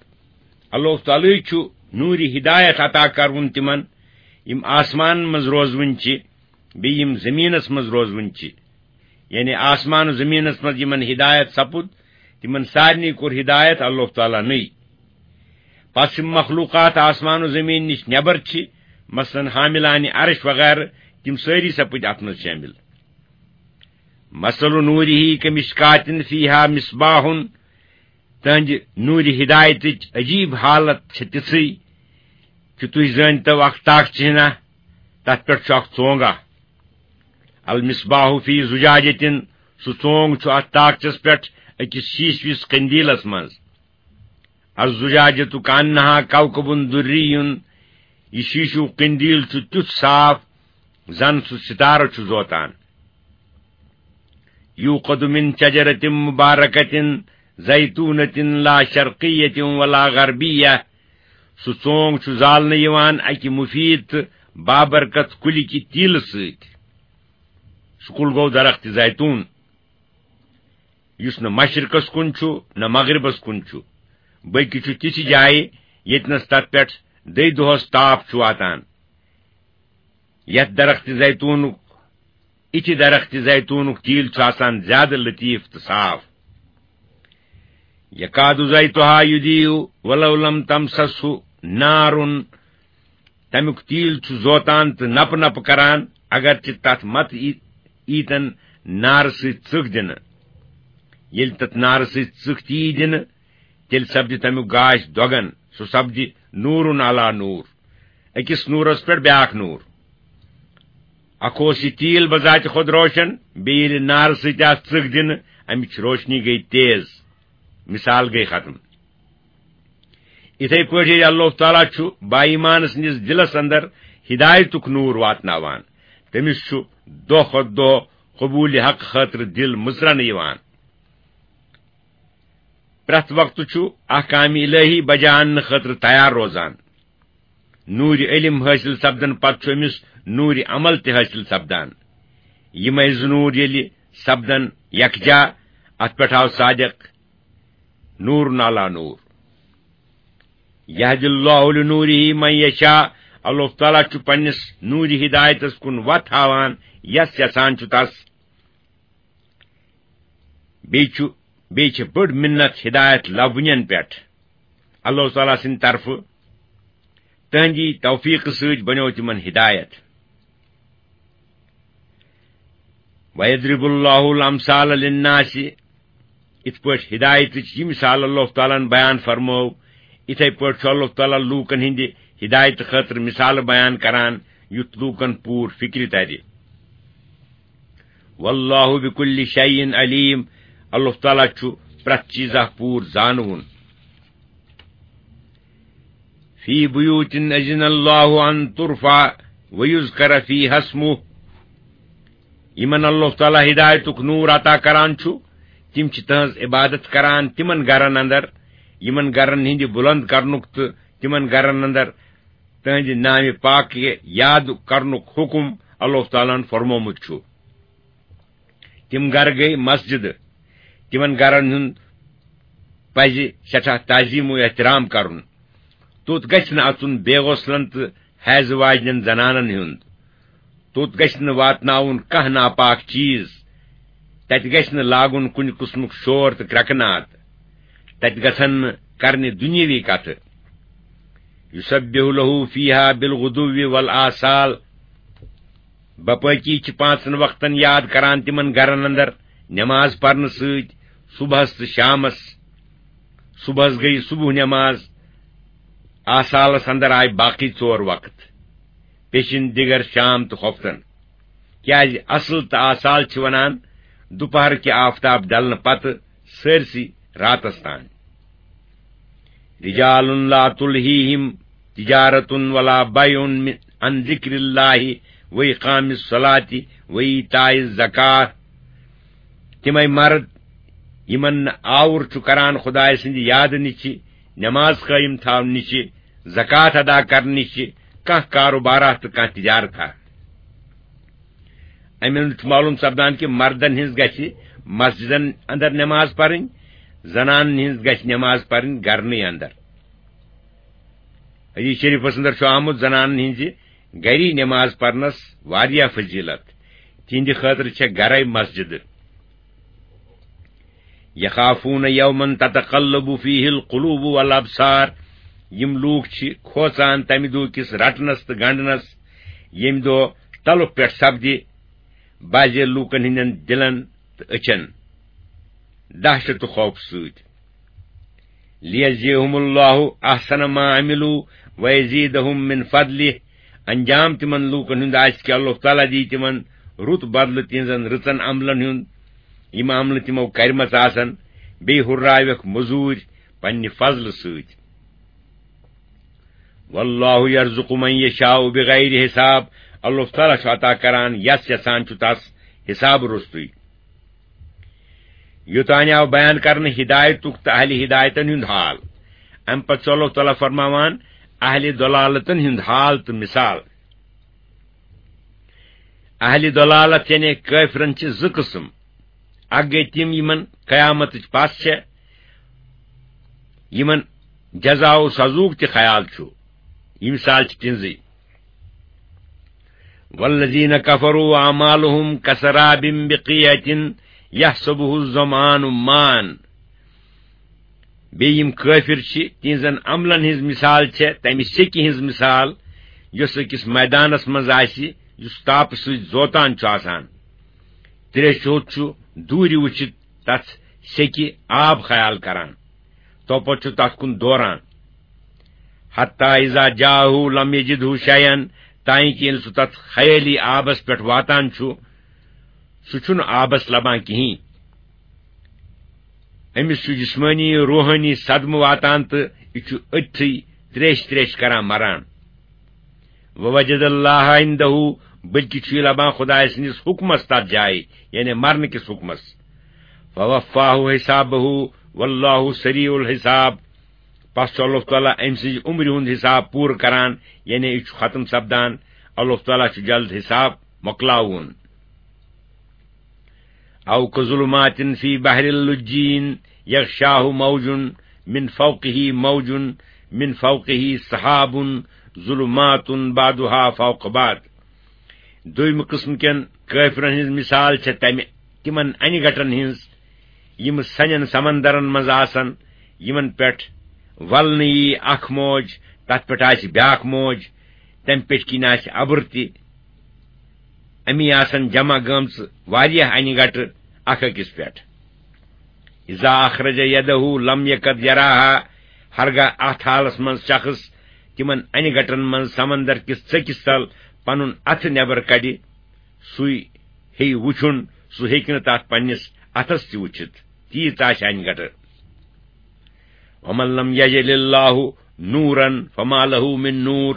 اللہ تعالیٰ چھُ نوٗرِ ہدایت عطا کرُن تِمن، یِم آسمانن منٛز روزوٕنۍ چھِ، بیٚیہِ یِم زٔمیٖنَس منٛز روزوٕنۍ چھِ، یعنی آسمان و زٔمیٖنَس منٛز یِمَن ہدایت سَپُد، تِمَن سارنٕے کوٚر ہدایت اللہ تعالیٰ نٕے۔ پَتہٕ یِم مخلوقات آسمان و زٔمیٖن نِش نٮ۪بر چھِ، مثلاً حاملانِ عرش وغیرہ، تِم سٲری سَپٕدۍ اَتھ منٛز شٲمِل۔ مثل نوٗرِہ کمشکاتٍ فیہا مصباح، تہنٛدِ نوٗرِ ہدایتٕچ عجیٖب حالت چھِ تِژھٕے کہِ تُہۍ زٲنۍتو اکھ تاکچہِ ہنا، تتھ پٮ۪ٹھ چھُ اکھ ژونگ اکھ۔ المصباح فی زجاجۃ، سُہ ژونگ چھُ اتھ تاکچس پٮ۪ٹھ أکِس شیٖشوِس قندیلس منٛز۔ الزجاجۃ کانہا کوکب دری، یہِ شیٖشوٗ قندیل چھُ تیُتھ صاف زن سُہ ستارٕ چھُ زوتان۔ یوقد من شجرۃ مبارکۃ زیتونۃ لا شرقیۃ ولا غربیہ، سُہ ژونگ چھُ زالنہٕ یِوان اکہِ مفید تہٕ بابرکت کُلہِ کہِ تیٖلہٕ سۭتۍ۔ سُہ کُل گوٚو درخت زیتون، یُس نہ مشرقس کُن چھُ نہ مغربس کُن چھُ، بلکہِ چھُ تِژھِ جایہِ ییٚتنس تتھ پٮ۪ٹھ دٔے دۄہس تاپھ چھُ واتان۔ یتھ درخت زیتونُک، یِتھِ درخت زیتونُک تیٖل چھُ آسان زیادٕ لطیف تہٕ صاف۔ یکاد زیتہا یضیء ولو لم تمسسہ نار، تمیُک تیٖل چھُ زوتان تہٕ نپہٕ نپہٕ کران، اگرچہِ تتھ مت ای-، ایٖتن نارٕ سۭتۍ ژٕکھ دِنہٕ۔ ییٚلہِ تتھ نارٕ سۭتۍ ژٕکھ تہِ یی دِنہٕ، تیٚلہِ سپدِ تمیُک گاش دۄگن، سُہ سپدِ نورن علی نور، أکِس نورس پٮ۪ٹھ بیٛاکھ نور۔ اکھ اوس یہِ تیٖل بذات خود روشن، بیٚیہِ ییٚلہِ نارٕ سۭتۍ آو ژٕکھ دِنہٕ، امِچ روشنی گٔے تیز، مثال گٔے ختم۔ یِتھے پٲٹھۍ ییٚلہِ اللہ تعالیٰ چھُ با ایمان سٕنٛدِس دِلس اندر ہدایتُک نور واتناوان، تٔمِس چھُ دۄہ کھۄتہٕ دۄہ قبوٗلِ حق خٲطرٕ دِل مٕژرنہٕ یِوان۔ پرٛٮ۪تھ وقتہٕ چھُ احکامِ الہی بجا اننہٕ خٲطرٕ تیار روزان۔ نوٗرِ علم حٲصِل سپدن پتہٕ چھُ أمِس نوٗرِ عمل تہِ حٲصِل سپدان۔ یِمے زٕ نوٗر ییٚلہِ سپدن یکجا، اتھ پٮ۪ٹھ آو صادق نور علی نور۔ یہدی اللہ لنورہ من یشاء، اللہ تعالیٰ چھُ پننِس نوٗرِ ہدایتس کُن وتھ ہاوان، یس یژھان چھُ تس۔ بیٚیہِ چھُ، بیٚیہِ چھِ بٔڑ مِنت ہدایت لبنٮ۪ن پٮ۪ٹھ۔ اللہ تعالیٰ سٕنٛدِ طرفہٕ تہنٛدی توفیقہٕ سۭتۍ بنیو تِمن ہدایت۔ وَيَضْرِبُ اللَّهُ الْأَمْثَالَ لِلنَّاسِ، یِتھ پٲٹھۍ ہدایتٕچ یہِ مثال اللہ تعالیٰ ہن بیان فرمٲو، یِتھے پٲٹھۍ چھُ اللہ تعالیٰ لوٗکن ہٕنٛدِ ہدایتہٕ خٲطرٕ مثالہٕ بیان کران، یُتھ لوٗکن پوٗرٕ فکرِ ترِ۔ واللہ بکل شیء علیم، اللہ تعالیٰ چھُ پرٛٮ۪تھ چیٖزا پوٗرٕ زانوُن۔ فی بیوت اذن اللہ ان ترفع ویذکر فیہا اسمہ، یِمن اللہ تعالیٰ ہدایتُک نور عطا کران چھُ، تِم چھِ تہنٛز عبادت کران تِمن گرن اندر، یِمن گرن ہٕنٛدِ بُلند کرنُک تہٕ تِمن گرن اندر تہنٛدِ نامِ پاک یاد کرنُک حکم اللہ تعالیٰ ہن فرمومُت چھُ۔ تِم گرٕ گٔے مسجدٕ۔ تِمن گرن ہُنٛد پزِ سٮ۪ٹھاہ تعظیم و احترام کرُن۔ توٚت گژھِ نہٕ اژُن بے غسلن تہٕ حیضہٕ واجنٮ۪ن زنانن ہُنٛد۔ توٚت گژھِ نہٕ واتناوُن کانٛہہ ناپاک چیٖز۔ تتہِ گژھِ نہٕ لاگُن کُنہِ قٕسمُک شور تہٕ کرٛٮ۪کہٕ ناد۔ تتہِ گژھن نہٕ کرنہِ دُنیٲوی کتھٕ۔ یسبح لہ فیہا بالغدو والآصال۔ باقی چھِ پانٛژن وقتن یاد کران تِمن گرن اندر نماز پرنہٕ سۭتۍ، صبحس تہٕ شامس۔ صبحس گٔیہِ صبح نماز، آسالس اندر آیہِ باقی ژور وقت، پیشن دِگر، شام تہٕ خۄفتن۔ کیازِ اصل تہٕ آسال چھِ ونان دُپہر کہِ آفتاب ڈلنہٕ پتہٕ سٲرسٕے راتس تام۔ رجال لا تلهيهم تجارة ولا بيع عن ذكر الله وإقام الصلاة وإيتاء الزكاة۔ تِمے مرد یِمن نہٕ آوُر چھُ کران خدایہِ سٕنٛدِ یادٕ نِشہِ، نماز قٲیِم تھاونہٕ نِشہِ، زکوٰۃ ادا کرنہٕ نِشہِ، کانٛہہ کاروبارا تہٕ کانٛہہ تجارتھا۔ اَمہِ منٛز چھُ معلوم سپدان کہِ مردن ہٕنٛز گژھِ مسجدن اندر نماز پرٕنۍ، زنانن ہٕنٛز گژھِ نماز پرٕنۍ گرنٕے اندر۔ حدیث شریفس اندر چھُ آمُت زنانن ہٕنٛزِ گری نماز پرنس واریاہ فضیلت، تِہنٛدِ خٲطرٕ چھےٚ گرے مسجد۔ یخافون یوما تتقلب فیہ القلوب والابصار، یِم لوٗکھ چھِ کھوژان تمہِ دۄہ کِس رٹنس تہٕ گنڈنس، ییٚمہِ دۄہ تلُک پٮ۪ٹھ سپدِ بعضے لوٗکن ہٕنٛدٮ۪ن دِلن تہٕ أچھن دہشت تہٕ خوف سۭتۍ۔ لیجزیہم اللہ احسن ما عملوا ویزیدہم من فضلہ، انجام تِمن لوٗکن ہُنٛد آسہِ کہِ اللہ تعالیٰ دی تِمن رُت بدلہٕ تِہنٛزن رٕژن عملن ہُنٛد، یِم عملہٕ تِمو کرِمژٕ آسن، بیٚیہِ ہُرراوٮ۪کھ مٔزوٗرۍ پننہِ فضلہٕ سۭتۍ۔ واللہ یرزق من یشاء بغیر حساب، اللہ تعالیٰ چھُ عطا کران یس یژھان چھُ تس حساب روٚستُے۔ یوٚتانۍ آو بیان کرنہٕ ہدایتُک تہٕ اہلِ ہدایتن ہُنٛد حال۔ امہِ پتہٕ چھُ اللہ تعالیٰ فرماوان اہلِ ضلالتن ہُنٛد حال تہٕ مثال۔ اہلِ ضلالت یعنی کٲفرن چھِ زٕ قٕسم۔ اکھ گٔے تِم یِمن قیامتٕچ پژھ چھےٚ، یِمن جزا و سزوٗک تہِ خیال چھُ۔ یہِ مثال چھِ تِہنٛزٕے۔ والذین کفروا اعمالهم کسراب بقیعة یحسبه الظمآن ماء۔ بیٚیہِ یِم کٲفِر چھِ، تِہنٛزن عملن ہٕنٛز مثال چھےٚ تمہِ سیٚکہِ ہٕنٛز مثال، یۄس أکِس میدانس منٛز آسہِ، یُس تاپہٕ سۭتۍ زوتان چھُ آسان۔ تریش چوٚومُت چھُ دوٗرِ وٕچھِتھ تتھ سیٚکہِ آب خیال کران، توپتہٕ چھُ تتھ کُن دوران۔ حتی اذا جاءه لم یجده شیئا، تانۍ کہِ ییٚلہِ سُہ تتھ خیٲلی آبس پٮ۪ٹھ واتان چھُ، سُہ چھُنہٕ آبس لبان کِہیٖنۍ۔ أمِس چھُ جسمٲنی، روحٲنی صدمہٕ واتان تہٕ یہِ چھُ أتھٕے تریش تریش کران مران۔ ووجد اللہ عنده، بلکہِ چھُ یہِ لبان خدایہِ سٕنٛدِس حُکمس تتھ جایہِ، یعنی مرنہٕ کِس حُکمس۔ فوفاه حسابه واللہ سریع الحساب۔ پس چھُ اللہ تعالیٰ أمۍ سٕنٛزِ عمرِ ہُنٛد حساب پوٗرٕ کران، یعنی یہِ چھُ ختم سپدان۔ اللہ تعالیٰ چھُ جلد حساب مۄکلاوُن۔ او کظلمات فی بحر اللجین یغشاہ موج من فوقہ موج من فوقہ سحاب ظلمات بعضها فوق بعض۔ دوٚیمہِ قٕسمہٕ کٮ۪ن کٲفرن ہٕنٛز مثال چھےٚ تمہِ، تِمن انہِ گٹن ہٕنٛز، یِم سنٮ۪ن سمندرن منٛز آسن، یِمن پٮ۪ٹھ ولنہٕ یی اکھ موج، تتھ پٮ۪ٹھ آسہِ بیاکھ موج، تمہِ پٮ۪ٹھ کِنۍ آسہِ اَبُر تہِ۔ اَمی آسن جمع گٔمژٕ واریاہ انہِ گٹہٕ اکھ أکِس پٮ۪ٹھ۔ اذا اخرج یدہ لم یکد یراہا، ہرگاہ اتھ حالس منٛز شخص تِمن انہِ گٹن منٛز سمندر کِس ژٔکِس تل پنُن اتھٕ نٮ۪بر کڑِ، سُے ہیٚیہِ وُچھُن، سُہ ہیٚکہِ نہٕ تتھ پننِس اتھس تہِ وُچھِتھ، تیٖژ آسہِ انہِ گٹہٕ۔ ومن لم یجعل اللہ نورا فما لہ من نور۔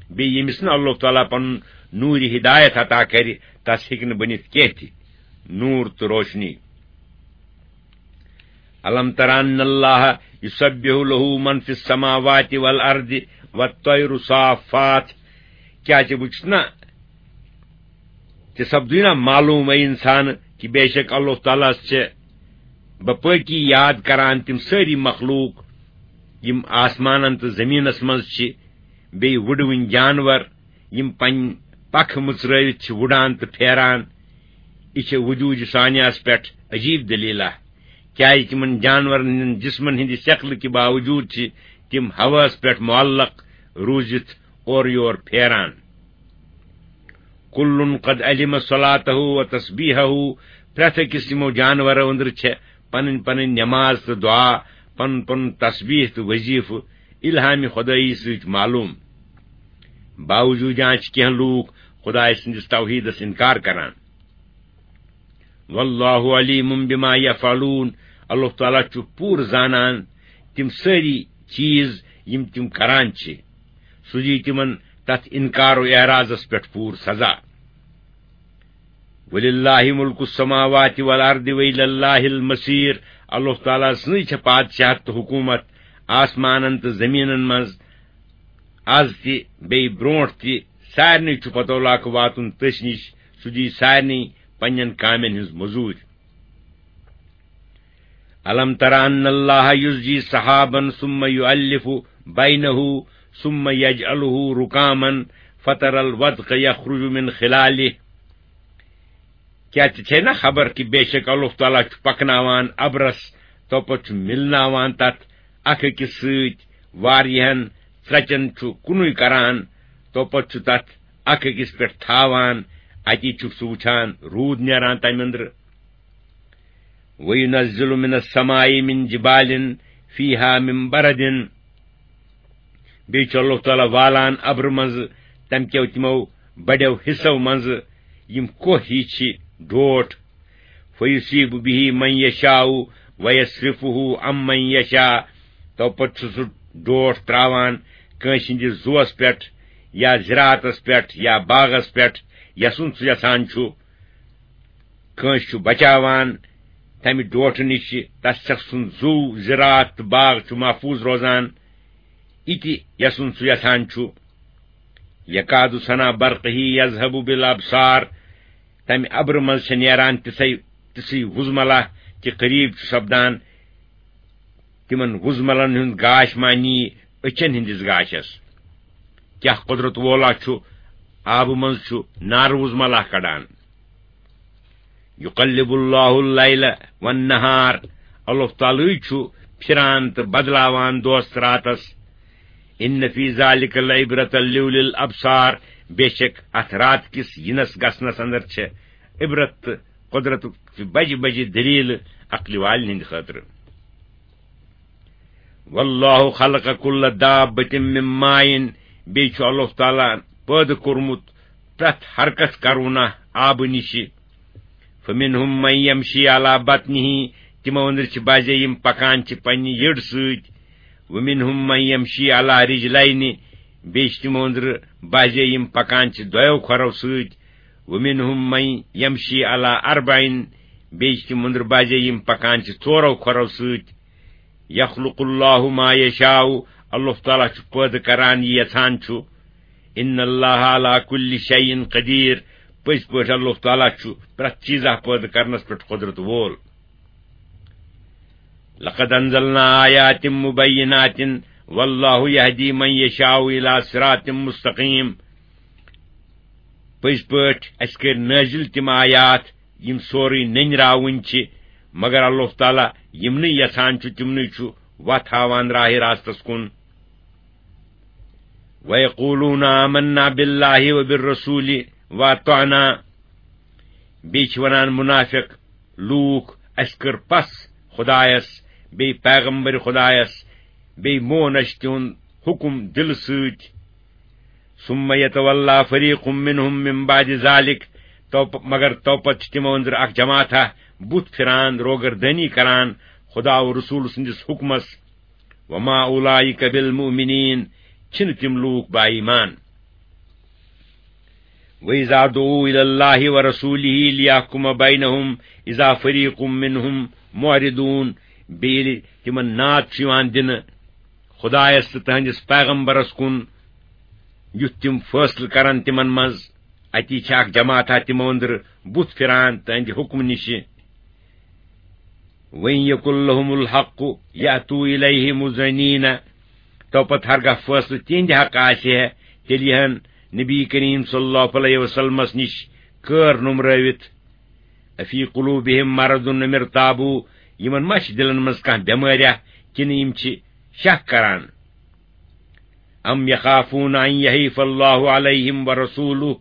بیٚیہِ ییٚمِس نہٕ اللہ تعالیٰ پنُن نوٗرِ ہدایت عطا کرِ، تس ہیٚکہِ نہٕ بٔنِتھ کینٛہہ تہِ نوٗر تہٕ روشنی۔ الم تر ان اللہ یسبح لہ من فی السماوات والارض والطیر صافات۔ کیٛاہ ژےٚ وُچھُتھ نا، ژےٚ سپدُے نا معلوم، اے انسان، کہِ بے شک اللہ تعالیٰ ہس چھِ بپٲکی یاد کران تِم سٲری مخلوق، یِم آسمانن تہٕ زٔمیٖنس منٛز چھِ، بیٚیہِ وُڈوٕنۍ جانور، یِم پنٕنۍ پکھٕ مٕژرٲوِتھ چھِ وُڈان تہٕ پھیران۔ یہِ چھِ وجوٗدِ ثانیہس پٮ۪ٹھ عجیٖب دٔلیٖلہ، کیٛازِ تِمن جانورن ہٕنٛدٮ۪ن جسمن ہٕنٛدِ شکلہٕ کہِ باوجوٗد چھِ تِم ہوہس پٮ۪ٹھ معلق روٗزِتھ اورٕ یور پھیران۔ کُلُّن قد علم صلاته و تسبیحه، پرٛٮ۪تھ أکِس یِمو جانورو أنٛدرٕ چھےٚ پنٕنۍ پنٕنۍ نماز تہٕ دعا، پنُن پنُن تسبیح تہٕ وظیفہٕ الہامِ خدٲیی سۭتۍ معلوم۔ باوجوٗد یہِ چھِ کینٛہہ لوٗکھ خدایہِ سٕنٛدِس توحیٖدس اِنکار کران۔ واللہ علیم بما یفعلون، اللہ تعالیٰ چھُ پوٗرٕ زانان تِم سٲری چیٖز یِم تِم کران چھِ۔ سُہ دی تِمن تتھ اِنکار و اعراضس پٮ۪ٹھ پوٗرٕ سزا۔ وللہ ملک السماوات والارض والی اللہ المصیر، اللہ تعالیٰ سٕنٛزٕے چھےٚ پادشاہت تہٕ حکوٗمت آسمانن تہٕ زٔمیٖنن منٛز، از تہِ بیٚیہِ برونٛٹھ تہِ۔ سارنٕے چھُ پتہٕ واتُن تٔسۍ نِش، سُہ دی سارنٕے پننٮ۪ن کامٮ۪ن ہٕنٛز مٔزوٗرۍ۔ الم تر ان اللہ یزجی سحابا ثم یؤلف بینہ ثم یجعلہ رکاما فتر الودق یخرج من خلالہ۔ کیا ژےٚ چھے نہ خبر کہِ بے شک اللہ تعالیٰ چھُ پکناوان ابرس، تو پتہٕ چھُ مِلناوان تتھ اکھ أکِس سۭتۍ واریاہن ژرٛچن، چھُ کُنُے کران، تو پتہٕ چھُ تتھ اکھ أکِس پٮ۪ٹھ تھاوان، اتی چھُکھ ژٕ وٕچھان روٗد نیران تمہِ أنٛدرٕ۔ وَيُنَزِّلُ مِنَ السَّمَاءِ مِن جِبَالٍ فِيهَا مِن بَرَدٍ۔ بیٚیہِ چھُ اللہ تعالیٰ والان ابرٕ منٛزٕ تَمہِ کیو تِمو بڑیو حصو منٛزٕ یِم کوہ ہی چھِ ڈوٹھ۔ فَيُصِيبُ بِهِ مَن يَشَاءُ وَيَصْرِفُهُ عَن مَّن يَشَاءُ۔ تو پتہٕ چھُ سُہ ڈوٹھ تراوان کٲنٛسہِ ہٕنٛدِس زُوَس پٮ۪ٹھ یا زِراعتَس پٮ۪ٹھ یا باغَس پٮ۪ٹھ، یَسُن سُہ یَژھان چھُ۔ کٲنٛسہِ چھُ بچاوان تمہِ ڈوٹھٕ نِش، تس شخص سُنٛد زُو، زِراعت تہٕ باغ چھُ محفوٗظ روزان۔ یہِ تہِ یَسُن سُہ یَژھان چھُ۔ یکاد سنا برقہ یذہب بالابصار، تمہِ ابرٕ منٛز چھےٚ نیران تِژھے، تِژھٕے وُزملہ کہِ قریب چھُ سپدان تِمن وُزملن ہُنٛد گاش مانی أچھن ہٕنٛدِس گاشس۔ کیٛاہ قۄدرت وولا چھُ آبہٕ منٛز چھُ نارٕ وُزملہ کڑان۔ یقلب اللہ اللیل والنہار، اللہ تعالیٰ چھُ پھران تہٕ بدلاوان دۄہس تہٕ راتس۔ ان فی ذالک لعبرۃ لأولی الابصار، بے شک اتھ رات کِس یِنس گژھنس اندر چھِ عبرت تہٕ قۄدرتُک بجہِ بجہِ دٔلیٖلہٕ عقلہِ والٮ۪ن ہٕنٛدِ خٲطرٕ۔ واللہ خلق کل دابۃ من ماء، بیٚیہِ چھُ اللہ تعالیٰ پٲدٕ کوٚرمُت پرٛٮ۪تھ حرکت کرونہ آبہٕ نِشہِ۔ فمنہم من یمشی علی بطنہ، تِمو أنٛدرٕ چھِ بعضے یِم پکان چھِ پننہِ یٔڈ سۭتۍ۔ ومنہم من یمشی علی رجلین، بیٚیہِ چھِ تِمو أنٛدرٕ بعضے یِم پکان چھِ دۄیو کھۄرو سۭتۍ۔ ومنہم من یمشی علی اربعین، بیٚیہِ چھِ تِم أنٛدرٕ بعضے یِم پکان چھِ ژورو کھۄرو سۭتۍ۔ یخلق اللہ ما یشاء، اللہ تعالیٰ چھُ پٲدٕ کران یہِ یژھان چھُ۔ ان اللہ علی کل شیء قدیر، پٔزۍ پٲٹھۍ اللہ تعالیٰ چھُ پرٛٮ۪تھ چیٖزا پٲدٕ کرنس پٮ۪ٹھ قۄدرت وول۔ لقد انزلنا آیات مبینات واللہ یہدی من یشاء الی صراط مستقیم۔ پٔزۍ پٲٹھۍ اَسہِ کٔرۍ نٲزِل تِم آیات یِم سورُے نٔنۍ راوٕنۍ چھِ، مگر اللہ تعالیٰ یِمنٕے یژھان چھُ تِمنٕے چھُ وَتھ ہاوان راہِ راستس کُن۔ وَيَقُولُونَ آمَنَّا بِاللَّهِ وَبِالرَّسُولِ وَأَطَعْنَا۔ بیٚیہِ چھِ وَنان مُنافِق لوٗکھ، اَسہِ کٔر پَژھ خۄدایَس، بیٚیہِ پیغمبر خۄدایَس، بیٚیہِ مون اَسہِ تِہُنٛد حُکُم دِلہٕ سۭتۍ۔ ثُمَّ يَتَوَلَّىٰ فَرِيقٌ مِّنْهُم مِّن بَعْدِ ذَٰلِكَ، تو پ-، مگر تو پتہٕ چھِ تِمو أنٛدرٕ اکھ جماعتھا بُتھ پھِران، روگردٲنی کران خدا و رسول سٕنٛدِس حُکمس۔ وَمَا أُولَٰئِكَ بِالْمُؤْمِنِينَ، چھِنہٕ تِم لوٗکھ با ایمان۔ وَإِذَا دُعُوا إِلَى اللَّهِ وَرَسُولِهِ لِيَحْكُمَ بَيْنَهُمْ إِذَا فَرِيقٌ مِّنْهُم مُّعْرِضُونَ، بیٚیہِ ییٚلہِ تِمن ناد چھُ یِوان دِنہٕ خۄدایس تہٕ تٕہنٛدِس پیغمبرس کُن، یُتھ تِم فٲصلہٕ کرن تِمن منٛز، اتی چھِ اکھ جماعتھا تِمو أنٛدرٕ بُتھ پھِران تٕہنٛدِ حُکمہٕ نِشہِ۔ وَإِن يَكُن لَّهُمُ الْحَقُّ يَأْتُوا إِلَيْهِ مُذْعِنِينَ۔ تو پتہٕ ہرگاہ فٲصلہٕ تِہنٛدِ حق آسہِ ہے، تیٚلہِ یِہن نبی کریم صلی اللہ علیہ وسلمس نِش کٲر نومرٲوِتھ۔ أَفِي قُلُوبِهِم مَّرَضٌ أَمِ ارْتَابُوا، یِمن ما چھِ دِلن منٛز کانٛہہ بٮ۪مٲریا، کِنہٕ یِم چھِ شک کران؟ أَمْ يَخَافُونَ أَن يَحِيفَ اللَّهُ عَلَيْهِمْ وَرَسُولُهُ،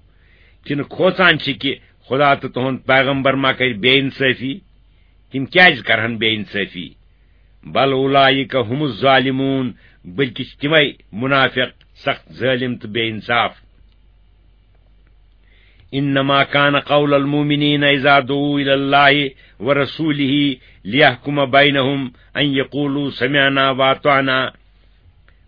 تِنہٕ کھوژان چھِ کہِ خدا تہٕ تُہُنٛد پیغمبر ما کرِ بے انصٲفی؟ تِم کیازِ کرہن بے انصٲفی؟ بل اولئک هم الظالمون، بلکہِ چھِ تِمے منافق، سخت ظٲلم تہٕ بے انصاف۔ انما کان قول المؤمنین اذا دعوا الی اللہ ورسولہ لیحکم بینہم ان یقولوا سمعنا واطعنا۔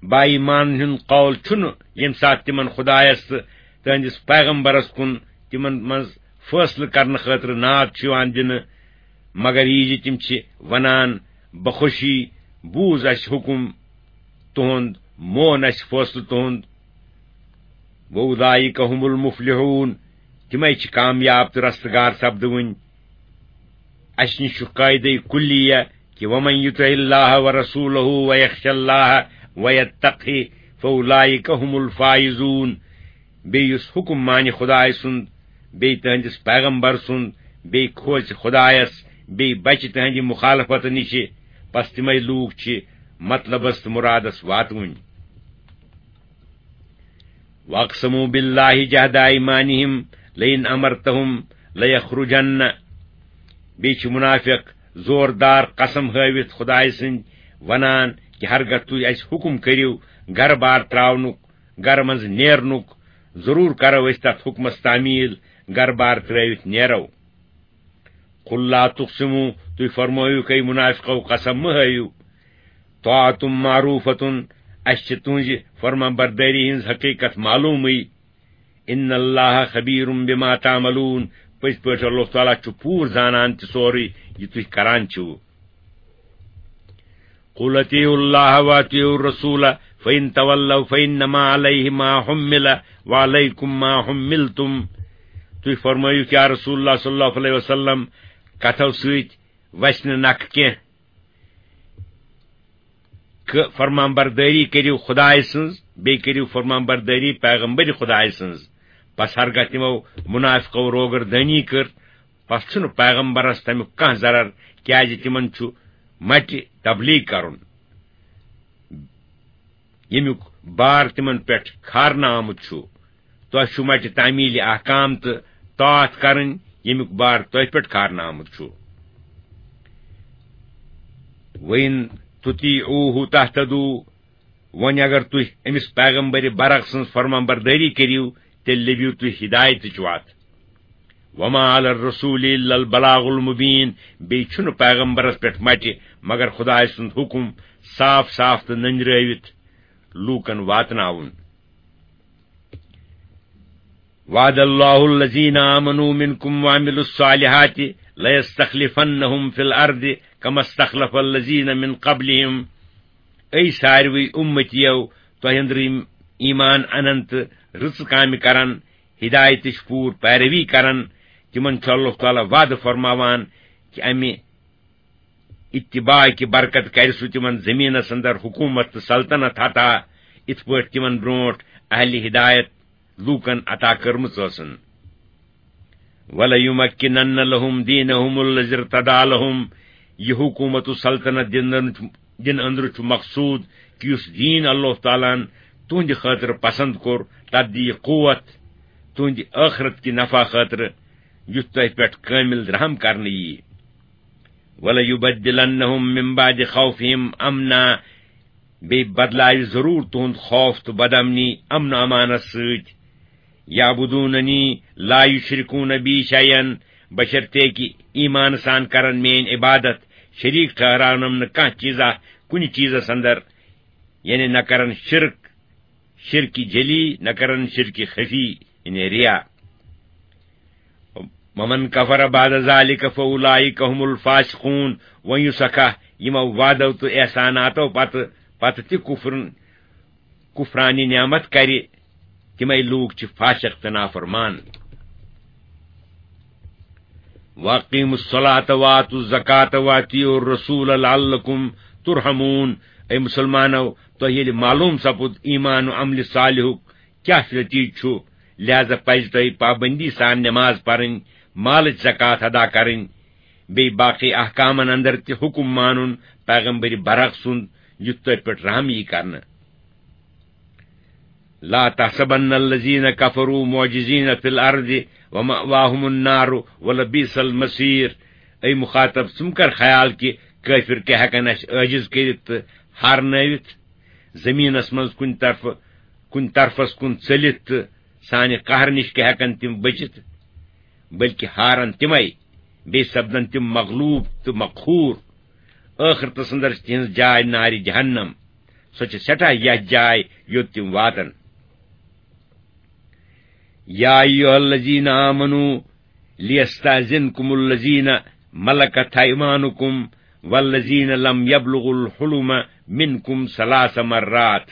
با ایمان ہُنٛد قول چھُنہٕ ییٚمہِ ساتہٕ تِمن خدایس تہٕ تہنٛدِس پیغمبرس کُن تِمن منٛز فٲصلہٕ کرنہٕ خٲطرٕ ناد چھُ یِوان دِنہٕ، مگر یہِ زِ تِم چھِ ونان، بخوشی بوٗز اسہِ حُکم تُہُنٛد، مون اسہِ فٲصلہٕ تُہُنٛد۔ وَأُولَٰئِكَ هُمُ الْمُفْلِحُونَ، تِمے چھِ کامیاب تہٕ رستگار سپدوٕنۍ۔ اسہِ نِش چھُ قاعدے کلیہ کہِ وَمَن يُطِعِ اللَّهَ وَرَسُولَهُ وَيَخْشَ اللَّهَ وَيَتَّقْهِ فَأُولَٰئِكَ هُمُ الْفَائِزُونَ۔ بیٚیہِ یُس حُکُم مانہِ خدایہِ سُنٛد، بیٚیہِ تٕہٕنٛدِس پیغمبر سُنٛد، بیٚیہِ کھوژِ خدایس، بیٚیہِ بچہِ تٕہٕنٛدِ مُخالفتہٕ نِشہِ، پس تِمے لوٗکھ چھِ مطلبس تہٕ مُرادس واتوٕنۍ۔ وَأَقْسَمُوا بِاللَّهِ جَهْدَ أَيْمَانِهِمْ لَئِنْ أَمَرْتَهُمْ لَيَخْرُجَنَّ۔ بیٚیہِ چھِ مُنافِق زوردار قسم ہٲوِتھ خدایہِ سٕنٛدۍ ونان کہِ ہرگاہ تُہۍ اَسہِ حُکُم کٔرِو گرٕ بار ترٛاونُک، گرٕ منٛز نیرنُک، ضروٗر کرو أسۍ تَتھ حُکمَس تعمیٖل، گرٕ بار ترٛٲوِتھ نیرو۔ قُل لَا تُقْسِمُوا، تُہۍ فرمٲیِو کٔہۍ مُنافِقو قسم مہٕ ہٲیِو۔ طاعتم معروفتن، اسہِ چھِ تُہنزِ فرمان بردٲری ہٕنز حقیقت معلومٕے۔ ان اللہ خبیر بما تعملون، پٔزۍ پٲٹھۍ اللہ تعالیٰ چھُ پوٗرٕ زانان تہِ سورُے یہِ تُہۍ کران چھِو۔ قل اطیعوا اللہ واطیعوا الرسول فان تولوا فانما علیہ ما حمل وعلیکم ما حملتم۔ تُہۍ فرمٲیِو کیا رسول اللہ صلی اللہ علیہ وسلم کتھو سۭتۍ وسہِ نہٕ نکھٕ کینٛہہ۔ کہ فرمان بردٲری کٔرِو خدایہِ سٕنٛز، بیٚیہِ کٔرِو فرمان بردٲری پیغمبر خدایہِ سٕنٛز۔ پس ہرگاہ تِمو مُنافِقو روگردٲنی کٔر، پس چھُنہٕ پیغمبرس تمیُک کانٛہہ ضرر، کیازِ تِمن چھُ مٹہِ تبلیغ کرُن، ییٚمیُک بار تِمن پٮ۪ٹھ کھارنہٕ آمُت چھُ۔ تۄہہِ چھُ مٹہِ تعمیٖل احکام تہٕ طاعت کرٕنۍ، ییٚمیُک بار تۄہہِ پٮ۪ٹھ کھارنہٕ آمُت چھُ۔ وَإِن تُطِیعُوهُ تَهْتَدُوا، وۄنۍ اگر تُہۍ أمِس پیغمبر برحق سٕنٛز فرمان بردٲری کٔرِو، تیٚلہِ لٔبِو تُہۍ ہدایتٕچ وَتھ۔ وَمَا عَلَى الرَّسُولِ إِلَّا الْبَلَاغُ الْمُبِينُ، بیٚیہِ چھُنہٕ پیغمبرس پٮ۪ٹھ مٹہِ مگر خدایہِ سُنٛد حُکم صاف صاف تہٕ نٔنٛدرٲوِتھ لوٗکن واتناوُن۔ وعد اللہ الذین آمنوا منکم وعملوا الصالحات لیستخلفنہم فی الارض کما استخلف الذین من قبلہم۔ اے ساروی امتیو، تۄہہِ اندر یِم ایمان انن تہٕ رٕژٕ کامہِ کرن، ہدایتٕچ پوٗرٕ پیروی کرن، تِمن چھُ اللہ تعالیٰ وعدٕ فرماوان کہِ امہِ اتباع کہِ برکت کرِ سُہ تِمن زمینس اندر حکومت تہٕ سلطنت عطا، اِتھ پٲٹھۍ تِمن برونٹھ اہل ہدایت لوٗکن عطا کٔرمٕژ ٲسٕن۔ وَلَيُمَكِّنَنَّ لَهُمْ دِينَهُمُ الَّذِي ارْتَضَىٰ لَهُمْ، یہِ حکومت و سلطنت دِنہٕ، دِنہٕ أنٛدرٕ چھُ مقصوٗد کہِ یُس دیٖن اللہ تعالیٰ ہن تُہنٛدِ خٲطرٕ پسنٛد کوٚر، تتھ دِیہِ قوت تُہنٛدِ ٲخرت کہِ نفع خٲطرٕ، یُتھ تۄہہِ پٮ۪ٹھ کٲمِل رحم کرنہٕ یِیہِ۔ وَلَيُبَدِّلَنَّهُمْ مِن بَعْدِ خَوْفِهِمْ أَمْنًا، بیٚیہِ بدلاوِ ضروٗر تُہُنٛد خوف تہٕ بدامنی امن و امانس سۭتۍ۔ یعبدوننی لا یشرکون بی شیئا، بشرطیکہِ ایمان سان کرن میٲنۍ عبادت، شریک ٹھہراونم نہٕ کانٛہہ چیٖزا کُنہِ چیٖزس اندر، یعنی نہ کرن شرک، شرک جلی، نہ کرن شرک خفی، یعنی ریا۔ ومن کفر بعد ذلک فاولئک هم الفاسقون۔ وۄنۍ یُس اکھا یِمو وعدو تہٕ احساناتو پتہٕ، پتہٕ تہِ کفرن، کفرانِ نعمت کرِ، تِمے لوٗکھ چھِ فاسق تہٕ نافرمان۔ واقیموا الصلاۃ وآتوا الزکاۃ واطیعوا الرسول لعلکم ترحمون۔ اے مسلمانو، تۄہہِ ییٚلہِ معلوم سپُد ایمان و عملِ صالحُک کیٛاہ نتیجہٕ چھُ، لہذا پزِ تۄہہِ پابندی سان نماز پرٕنۍ، مالٕچ زکوٰۃ ادا کرٕنۍ، بیٚیہِ باقی احکامن اندر تہِ حکم مانُن پیغمبر برحق سُنٛد، یُتھ تۄہہِ پٮ۪ٹھ رحم یی کرنہٕ۔ لا تحسبن الذين كفروا معجزين في الأرض ومأواهم النار ولبئس المصير۔ اے مخاطب، ژٕ مہ کر خیال کہِ کٲفر کیٛاہ ہٮ۪کن اَسہِ عٲجز کٔرِتھ تہٕ ہارنٲوِتھ، زٔمیٖنس منٛز کُنہِ طرفہٕ، کُنہِ طرفس کُن ژٔلِتھ تہٕ سانہِ قہرٕ نِش کیٛاہ ہٮ۪کن تِم بٔچِتھ، بلکہِ ہارن تِمے، بیٚیہِ سپدن تِم مغلوب تہٕ مقہوٗر۔ ٲخرتس اندر چھِ تِہنٛز جاے نارِ جہنم، سۄ چھِ سٮ۪ٹھاہ یتھ جاے یوٚت تِم واتن۔ يا أيها الذين آمنوا ليستأذنكم الذين ملكت أيمانكم والذين لم يبلغوا الحلم منكم ثلاث مرات۔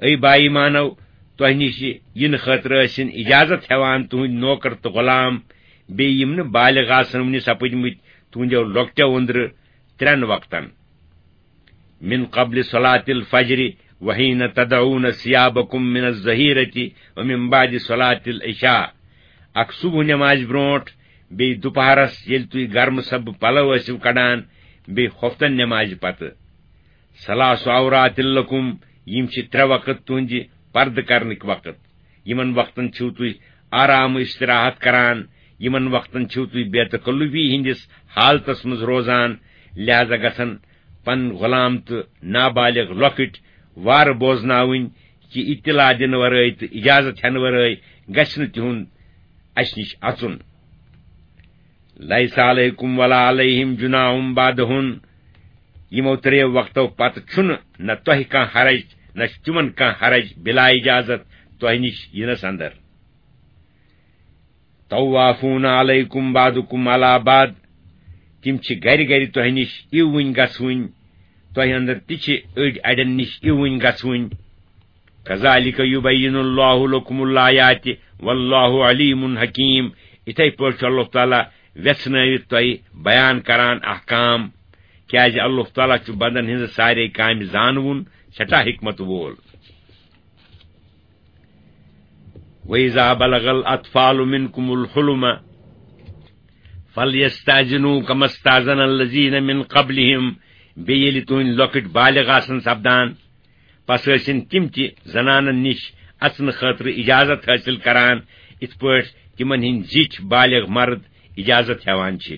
اے با ایمانو، تۄہہِ نِش یِنہٕ خٲطرٕ ٲسِن اجازت ہٮ۪وان تُہٕنٛدۍ نوکر تہٕ غلام، بیٚیہِ یِم نہٕ بالغ آسن وُنہِ سپٕدمٕتۍ تُہٕنٛدیو لۄکٹیو أنٛدرٕ، ترٛٮ۪ن وقتن۔ من قبل صلاة الفجر وحين تدعون ثيابكم من الظهيرة ومن بعد صلاة العشاء۔ اکھ صبح نمازِ برونٹھ، بیٚیہِ دُپہرس ییٚلہِ تُہۍ گرمہٕ سبہٕ پلو ٲسِو کڑان، بیٚیہِ خۄفتن نمازِ پتہٕ۔ ثلاث عورات لكم، یِم چھِ ترٛےٚ وقت تُہنٛدِ پردٕ کرنٕکۍ وقت۔ یِمن وقتن چھِو تُہۍ آرام و استراحت کران، یِمن وقتن چھِو تُہۍ بے تکلفی ہٕنٛدِس حالتس منٛز روزان، لہذا گژھن پنٕنۍ غلام تہٕ نابالغ لۄکٕٹۍ وارٕ بوزناوٕنۍ کہِ اطلاع دِنہٕ ورٲے تہٕ اجازت ہٮ۪نہٕ ورٲے گژھِ نہٕ تِہُنٛد اسہِ نِش اژُن۔ ليس عليكم ولا عليهم جناح بعدهن، یِمو ترٛیٚیو وقتو پتہٕ چھُنہٕ نہ تۄہہِ کانٛہہ حرج، نہ چھُ تِمن کانٛہہ حرج بلا اجازت تۄہہِ نِش یِنس اندر۔ طوافون عليكم بعضكم على بعض، تِم چھِ گرِ گرِ تۄہہِ نِش اِوٕنۍ گژھوٕنۍ، تۄہہِ اندر تہِ چھِ أڑۍ اڑٮ۪ن نِش اِوٕنۍ گژھوٕنۍ۔ كذلك يبين الله لكم الآيات والله عليم حكيم۔ یِتھے پٲٹھۍ چھُ اللہ تعالیٰ ویژھنٲوِتھ تۄہہِ بیان کران احکام، کیازِ اللہ تعالیٰ چھُ بندن ہٕنٛزٕ سارے کامہِ زانوُن، سٮ۪ٹھاہ حکمت وول۔ وإذا بلغ الأطفال منكم الحلم فليستأذنوا كما استأذن الذين من قبلهم۔ بیٚیہِ ییٚلہِ تُہٕنٛدۍ لۄکٕٹۍ بالغ آسن سپدان، پس ٲسِن تِم تہِ زنانن نِش اژنہٕ خٲطرٕ اجازت حٲصِل کران، یِتھ پٲٹھۍ تِمن ہٕنٛدۍ زِٹھۍ بالغ مرد اجازت ہٮ۪وان چھِ۔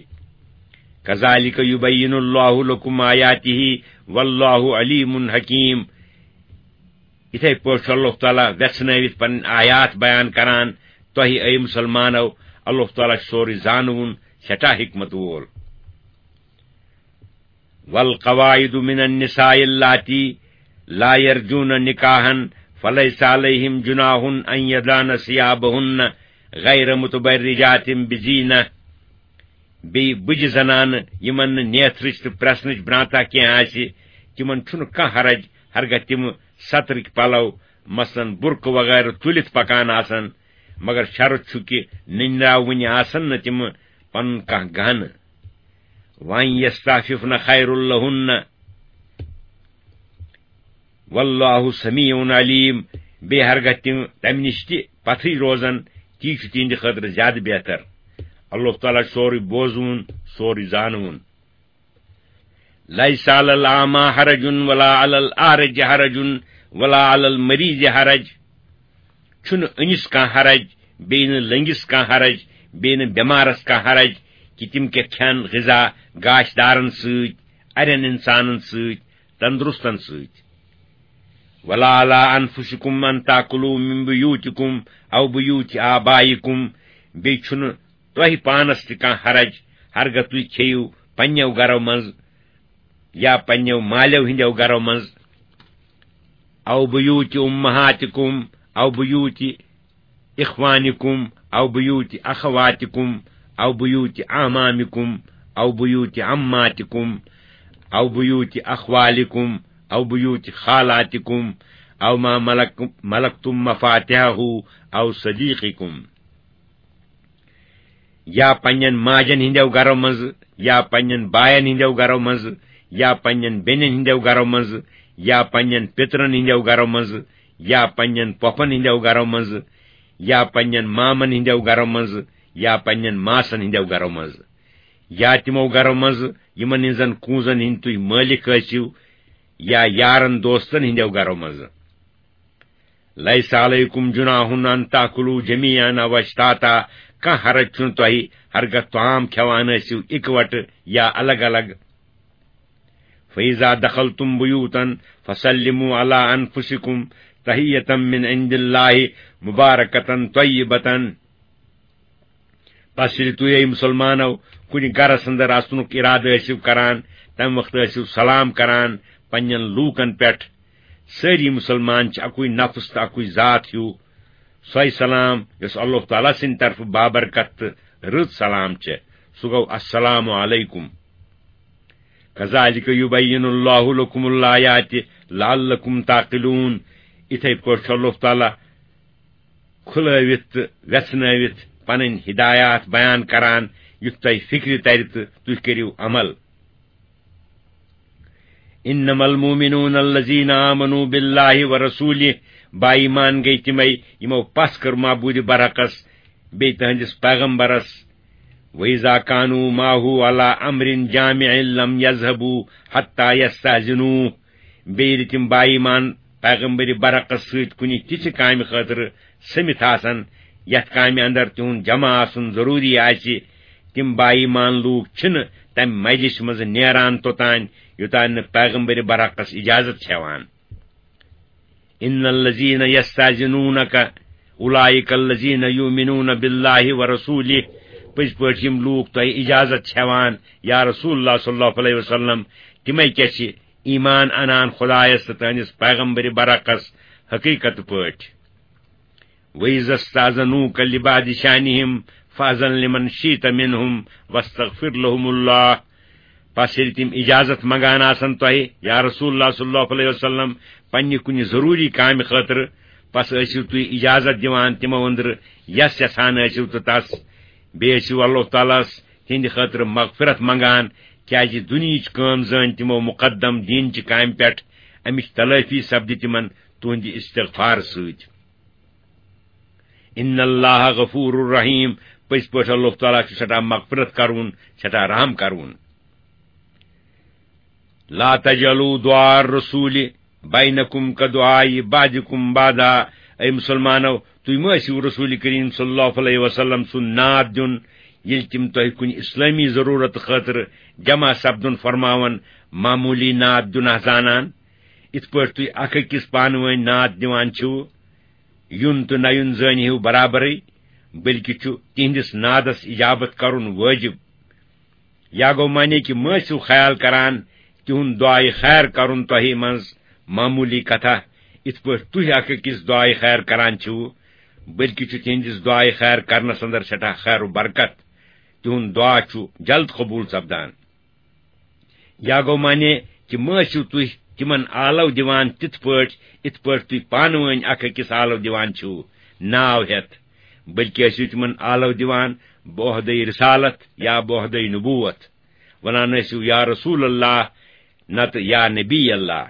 كذلك يبين الله لكم آياته والله عليم حكيم۔ یِتھے پٲٹھۍ چھُ اللہ تعالیٰ ویژھنٲوِتھ پنٕنۍ آیات بیان کران تۄہہِ، اے مسلمانو۔ اللہ تعالیٰ چھُ سورُے زانوُن، سٮ۪ٹھاہ حکمت وول۔ والقواعد من النساء اللاتي لا يرجون نكاحا فليس عليهم جناح أن يضعن ثيابهن غير متبرجات بزينة۔ بیٚیہِ بُجہِ زنانہٕ، یِمن نہٕ نیتھرٕچ تہٕ پرٛسنٕچ برٛانٛتھا کینٛہہ آسہِ، تِمن چھُنہٕ کانٛہہ حرج، ہرگاہ تِم سترٕکۍ پلو، مثلاً برقعہٕ وغیرہ، تُلِتھ پکان آسن، مگر شرط چھُ کہِ نٔنۍ راوٕنہِ آسن نہٕ تِم پنُن کانٛہہ گہنہٕ۔ وَأَن يَسْتَعْفِفْنَ خَيْرٌ لَهُنَّ، وَاللَّهُ سَمِيعٌ عَلِيمٌ۔ بیٚیہِ ہرگاہ تِم تَمہِ نِش تہِ پَتھٕے روزن، تی چھُ تِہنٛدِ خٲطرٕ زیادٕ بہتر۔ اللہ تعالیٰ چھُ سورُے بوزوُن، سورُے زانوُن۔ لَيْسَ عَلَى الْأَعْمَى حَرَجٌ وَلَا عَلَى الْأَعْرَجِ حَرَجٌ وَلَا عَلَى الْمَرِيضِ حَرَجٌ۔ چھُنہٕ أنِس کانٛہہ حرج، بیٚیہِ نہٕ لٔنٛگِس کانٛہہ حرج، بیٚیہِ نہٕ بٮ۪مارس کانٛہہ حرج، کہِ تِم کیٛاہ کھٮ۪ن غذا گاشدارن سۭتۍ، اَرٮ۪ن اِنسانن سۭتۍ، تندرستن سۭتۍ۔ وَلَا عَلَىٰ أَنفُسِكُمْ أَن تَأْكُلُوا مِن بُيُوتِكُمْ أَوْ بُيُوتِ آبَائِكُمْ۔ بیٚیہِ چھُنہٕ تۄہہِ پانس تہِ کانٛہہ حرج، ہرگاہ تُہۍ کھیٚیِو پننیو گرو منٛز یا پننیو مالیو ہٕنٛدیو گرو منٛز، أَوْ بُيُوتِ أُمَّهَاتِكُمْ أَوْ بُيُوتِ إِخْوَانِكُمْ أَوْ بُيُوتِ أَخَوَاتِكُمْ أَوْ بُيُوتِ أَعْمَامِكُمْ أَوْ بُيُوتِ عَمَّاتِكُمْ أَوْ بُيُوتِ أَخْوَالِكُمْ أَوْ بُيُوتِ خَالَاتِكُمْ أَوْ مَا مَلَكْتُمْ مَفَاتِحَهُ أَوْ صَدِيقِكُمْ۔ یا پننٮ۪ن ماجن ہٕنٛدیو گرو منٛزٕ، یا پننٮ۪ن باین ہٕنٛدیو گرو منٛزٕ، یا پننٮ۪ن بیٚنٮ۪ن ہٕنٛدیو گرو منٛزٕ، یا پننٮ۪ن پِترن ہٕنٛدیو گرو منٛزٕ، یا پننٮ۪ن پۄپھن ہٕنٛدیو گرو منٛزٕ، یا پننٮ۪ن مامن ہٕنٛدیو گرو منٛزٕ، یا پننٮ۪ن ماسن ہٕنٛدیو گرو منٛزٕ، یا تِمو گرو منٛزٕ یِمن ہٕنٛزن کونٛزن ہٕنٛدۍ تُہۍ مٲلِک ٲسِو، یا یارن دوستن ہٕنٛدیو گرو منٛزٕ۔ لیس علیکم جناح ان تاکلوا جمیعا او اشتاتا، کانٛہہ حرج چھُنہٕ تۄہہِ ہرگاہ طعام کھٮ۪وان ٲسِو اِکوٹہٕ یا الگ الگ۔ فاذا دخلتم بیوتا فسلموا علی انفسکم تحیة من عند اللہ مبارکة طیبة۔ پس ییٚلہِ تُہۍ، اے مُسلمانو، کُنہِ گرس اندر اژنُک ارادٕ ٲسِو کران، تمہِ وقتہٕ ٲسِو سلام کران پننٮ۪ن لوٗکن پٮ۪ٹھ۔ سٲری مُسلمان چھِ اکُے نفس تہٕ اکُے ذات ہیوٗ۔ سۄے سلام یۄس اللہ تعالیٰ سٕنٛدِ طرفہٕ بابرکت تہٕ رٕژ سلام چھےٚ، سُہ گوٚو السلام علیکم۔ کذالک یبین اللہ لکم الآیات لعلکم تعقلون۔ یِتھے پٲٹھۍ چھُ اللہ تعالیٰ کھُلٲوِتھ تہٕ ویژھنٲوِتھ پنٕنۍ ہدایات بیان کران، یُتھ تۄہہِ فکرِ ترِ تہٕ تُہۍ کٔرِو عمل۔ انما المؤمنون الذین آمنوا باللہ ورسولہ، با ایمان گٔے تِمے یِمو پژھ کٔر معبود برحقس بیٚیہِ تہنٛدِس پیغمبرس۔ وَإِذَا كَانُوا مَعَهُ عَلَىٰ أَمْرٍ جَامِعٍ لَمْ يَذْهَبُوا حَتَّىٰ يَسْتَأْذِنُوهُ۔ بیٚیہِ ییٚلہِ تِم با ایمان پیغمبر برحقس سۭتۍ کُنہِ تِژھِ کامہِ خٲطرٕ سٔمِتھ آسن، یَتھ کامہِ اندر تِہُنٛد جمع آسُن ضروٗری آسہِ، تِم با ایمان لوٗکھ چھِنہٕ تَمہِ مجلسہِ منٛزٕ نیران توٚتام، یوٚتام نہٕ پیغمبر برحقس اجازت چھِ ہٮ۪وان۔ ان الذین یستاذنونک اولئک الذین یؤمنون باللہ ورسولہ، پٔزۍ پٲٹھۍ یِم لوٗکھ تۄہہِ اجازت چھِ ہٮ۪وان، یا رسول اللہ صلی اللہ علیہ وسلم، تِمے کیٛاہ چھِ ایمان انان خدایس تہٕ تہنٛدِس پیغمبر برحقس حقیقت پٲٹھۍ۔ وَإِذَا اسْتَأْذَنُوكَ لِبَعْضِ شَأْنِهِمْ فَأْذَن لِمَنْ شِئْتَ مِنْهُمْ وَاسْتَغْفِرْ لَهُمُ اللَّهَ۔ پس ییٚلہِ تِم اجازت منگان آسن تۄہہِ، یا رسول اللہ صلی اللہ علیہ وسلم، پننہِ کُنہِ ضروٗری کامہِ خٲطرٕ، پس ٲسِو تُہۍ اجازت دِوان تِمو أنٛدرٕ یس یژھان ٲسِو تہٕ تس۔ بیٚیہِ ٲسِو اللہ تعالیٰ ہس تِہنٛدِ خٲطرٕ مغفرت منگان، کیازِ دُنیہٕچ کٲم زٲنۍ تِمو مقدم دیٖنچہِ کامہِ پٮ۪ٹھ۔ امِچ تلٲفی سپدِ تِمن تُہنٛدِ استغفار سۭتۍ۔ ان اللہ غفور رحیم، پٔزۍ پٲٹھۍ اللہ تعالیٰ چھُ سٮ۪ٹھاہ مغفرت کرون، سٮ۪ٹھاہ رحم کرون۔ لا تجعلوا دعاء الرسول بینکم کدعاء بعضکم بعضا۔ اے مسلمانو، تُہۍ مہ ٲسِو رسول کریم صلی اللہ علیہ وسلم سُنٛد نعت دیُن، ییٚلہِ تِم تۄہہِ کُنہِ اسلٲمی ضروٗرت خٲطرٕ جمع سپدُن فرماون، معموٗلی نعت دیُن آسہٕ زانان۔ یِتھ پٲٹھۍ تُہۍ اکھ أکِس پانہٕ وٲنۍ نعت دِوان چھِو، یُن تہٕ نہ یُن زٲنۍ ہیوٗ برابرٕے، بلکہِ چھُ تِہنٛدِس نعدس اجابت کرُن وٲجب۔ یا گوٚو معنی کہِ مہ ٲسِو خیال کران تِہُنٛد دعایہِ خیر کرُن تۄہہِ منٛز معموٗلی کتھا، یِتھ پٲٹھۍ تُہۍ اکھ أکِس دعایہِ خیر کران چھِو، بلکہِ چھُ تِہنٛدِس دعایہِ خیر کرنس اندر سٮ۪ٹھاہ خیر و برکت۔ تِہُنٛد دعا چھُ جلد قبوٗل سپدان۔ یا گوٚو معنی کہِ مہ ٲسِو تُہۍ تِمن آلو دِوان تِتھ پٲٹھۍ، یِتھ پٲٹھۍ تُہۍ پانہٕ وٲنۍ اکھ أکِس آلو دِوان چھِو ناو ہٮ۪تھ، بلکہِ ٲسِو تِمن آلو دِوان بعہدے رسالت یا بعہدے نبوت، ونان ٲسِو یا رسول اللہ، نتہٕ یا نبی اللہ۔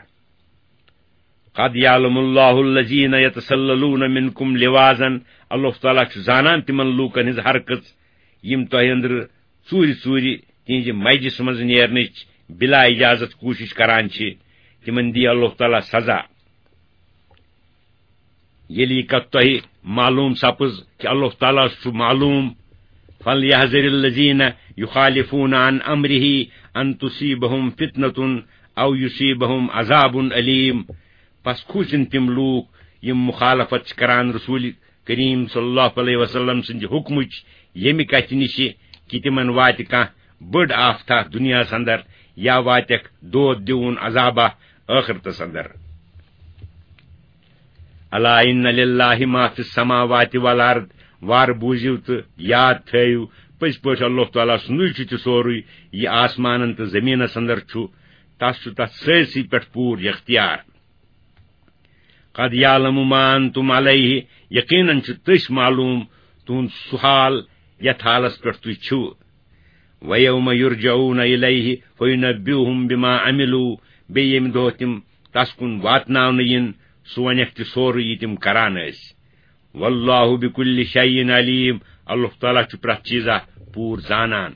قد یعلم اللہ الذین یتسللون منکم لواذا، اللہ تعالیٰ چھُ زانان تِمن لوٗکن ہٕنٛز حرکت یِم تۄہہِ أنٛدرٕ ژوٗرِ ژوٗرِ تِہنٛزِ مجلسہِ منٛز نیرنٕچ بلا اجازت کوٗشش کران چھِ، تِمن دِیہِ اللہ تعالیٰ سزا۔ ییٚلہِ یہِ کتھ تۄہہِ معلوٗم سپٕز کہِ اللہ تعالیٰ ہس چھُ معلوٗم، فلیحذر الذین یخالفون عن امرہ ان تصیبہم فتنة او یصیبہم عذاب علیم۔ پس کھوٗژِن تِم لوٗکھ یِم مخالفت چھِ کران رسول کریم صلی اللہ علیہ وسلم سٕنٛدِ حکمٕچ، ییٚمہِ کتھِ نِشہِ کہِ تِمن واتہِ کانٛہہ بٔڑ آفتاہ دُنیاہس اندر یا واتٮ۪کھ دود دیوُن عذابہ ٲخرتس اندر۔ الا ان للہ ما فی السماوات والارض، وار بوٗزِو تہٕ یاد تھٲیِو، پٔزۍ پٲٹھۍ اللہ تعالیٰ سُنٛدُے چھُ تہِ سورُے، یہِ آسمانن تہٕ زٔمیٖنس اندر چھُ، تس چھُ تتھ سٲرسٕے پٮ۪ٹھ پوٗرٕ اختیار۔ قد یعلم ما انتم علیہ، یقیناً چھُ تٔسۍ معلوٗم تُہُنٛد سُہ حال یتھ حالس پٮ۪ٹھ تُہۍ چھِو۔ ویوم یرجعون الیہ فینبئہم بما عملوا، بیٚیہِ ییٚمہِ دۄہ تِم تس کُن واتناونہٕ یِن، سُہ ونٮ۪کھ تہِ سورُے یہِ تِم کران ٲسۍ۔ واللہ بکل شیء علیم، اللہ تعالیٰ چھُ پرٛٮ۪تھ چیٖزا پوٗرٕ زانان۔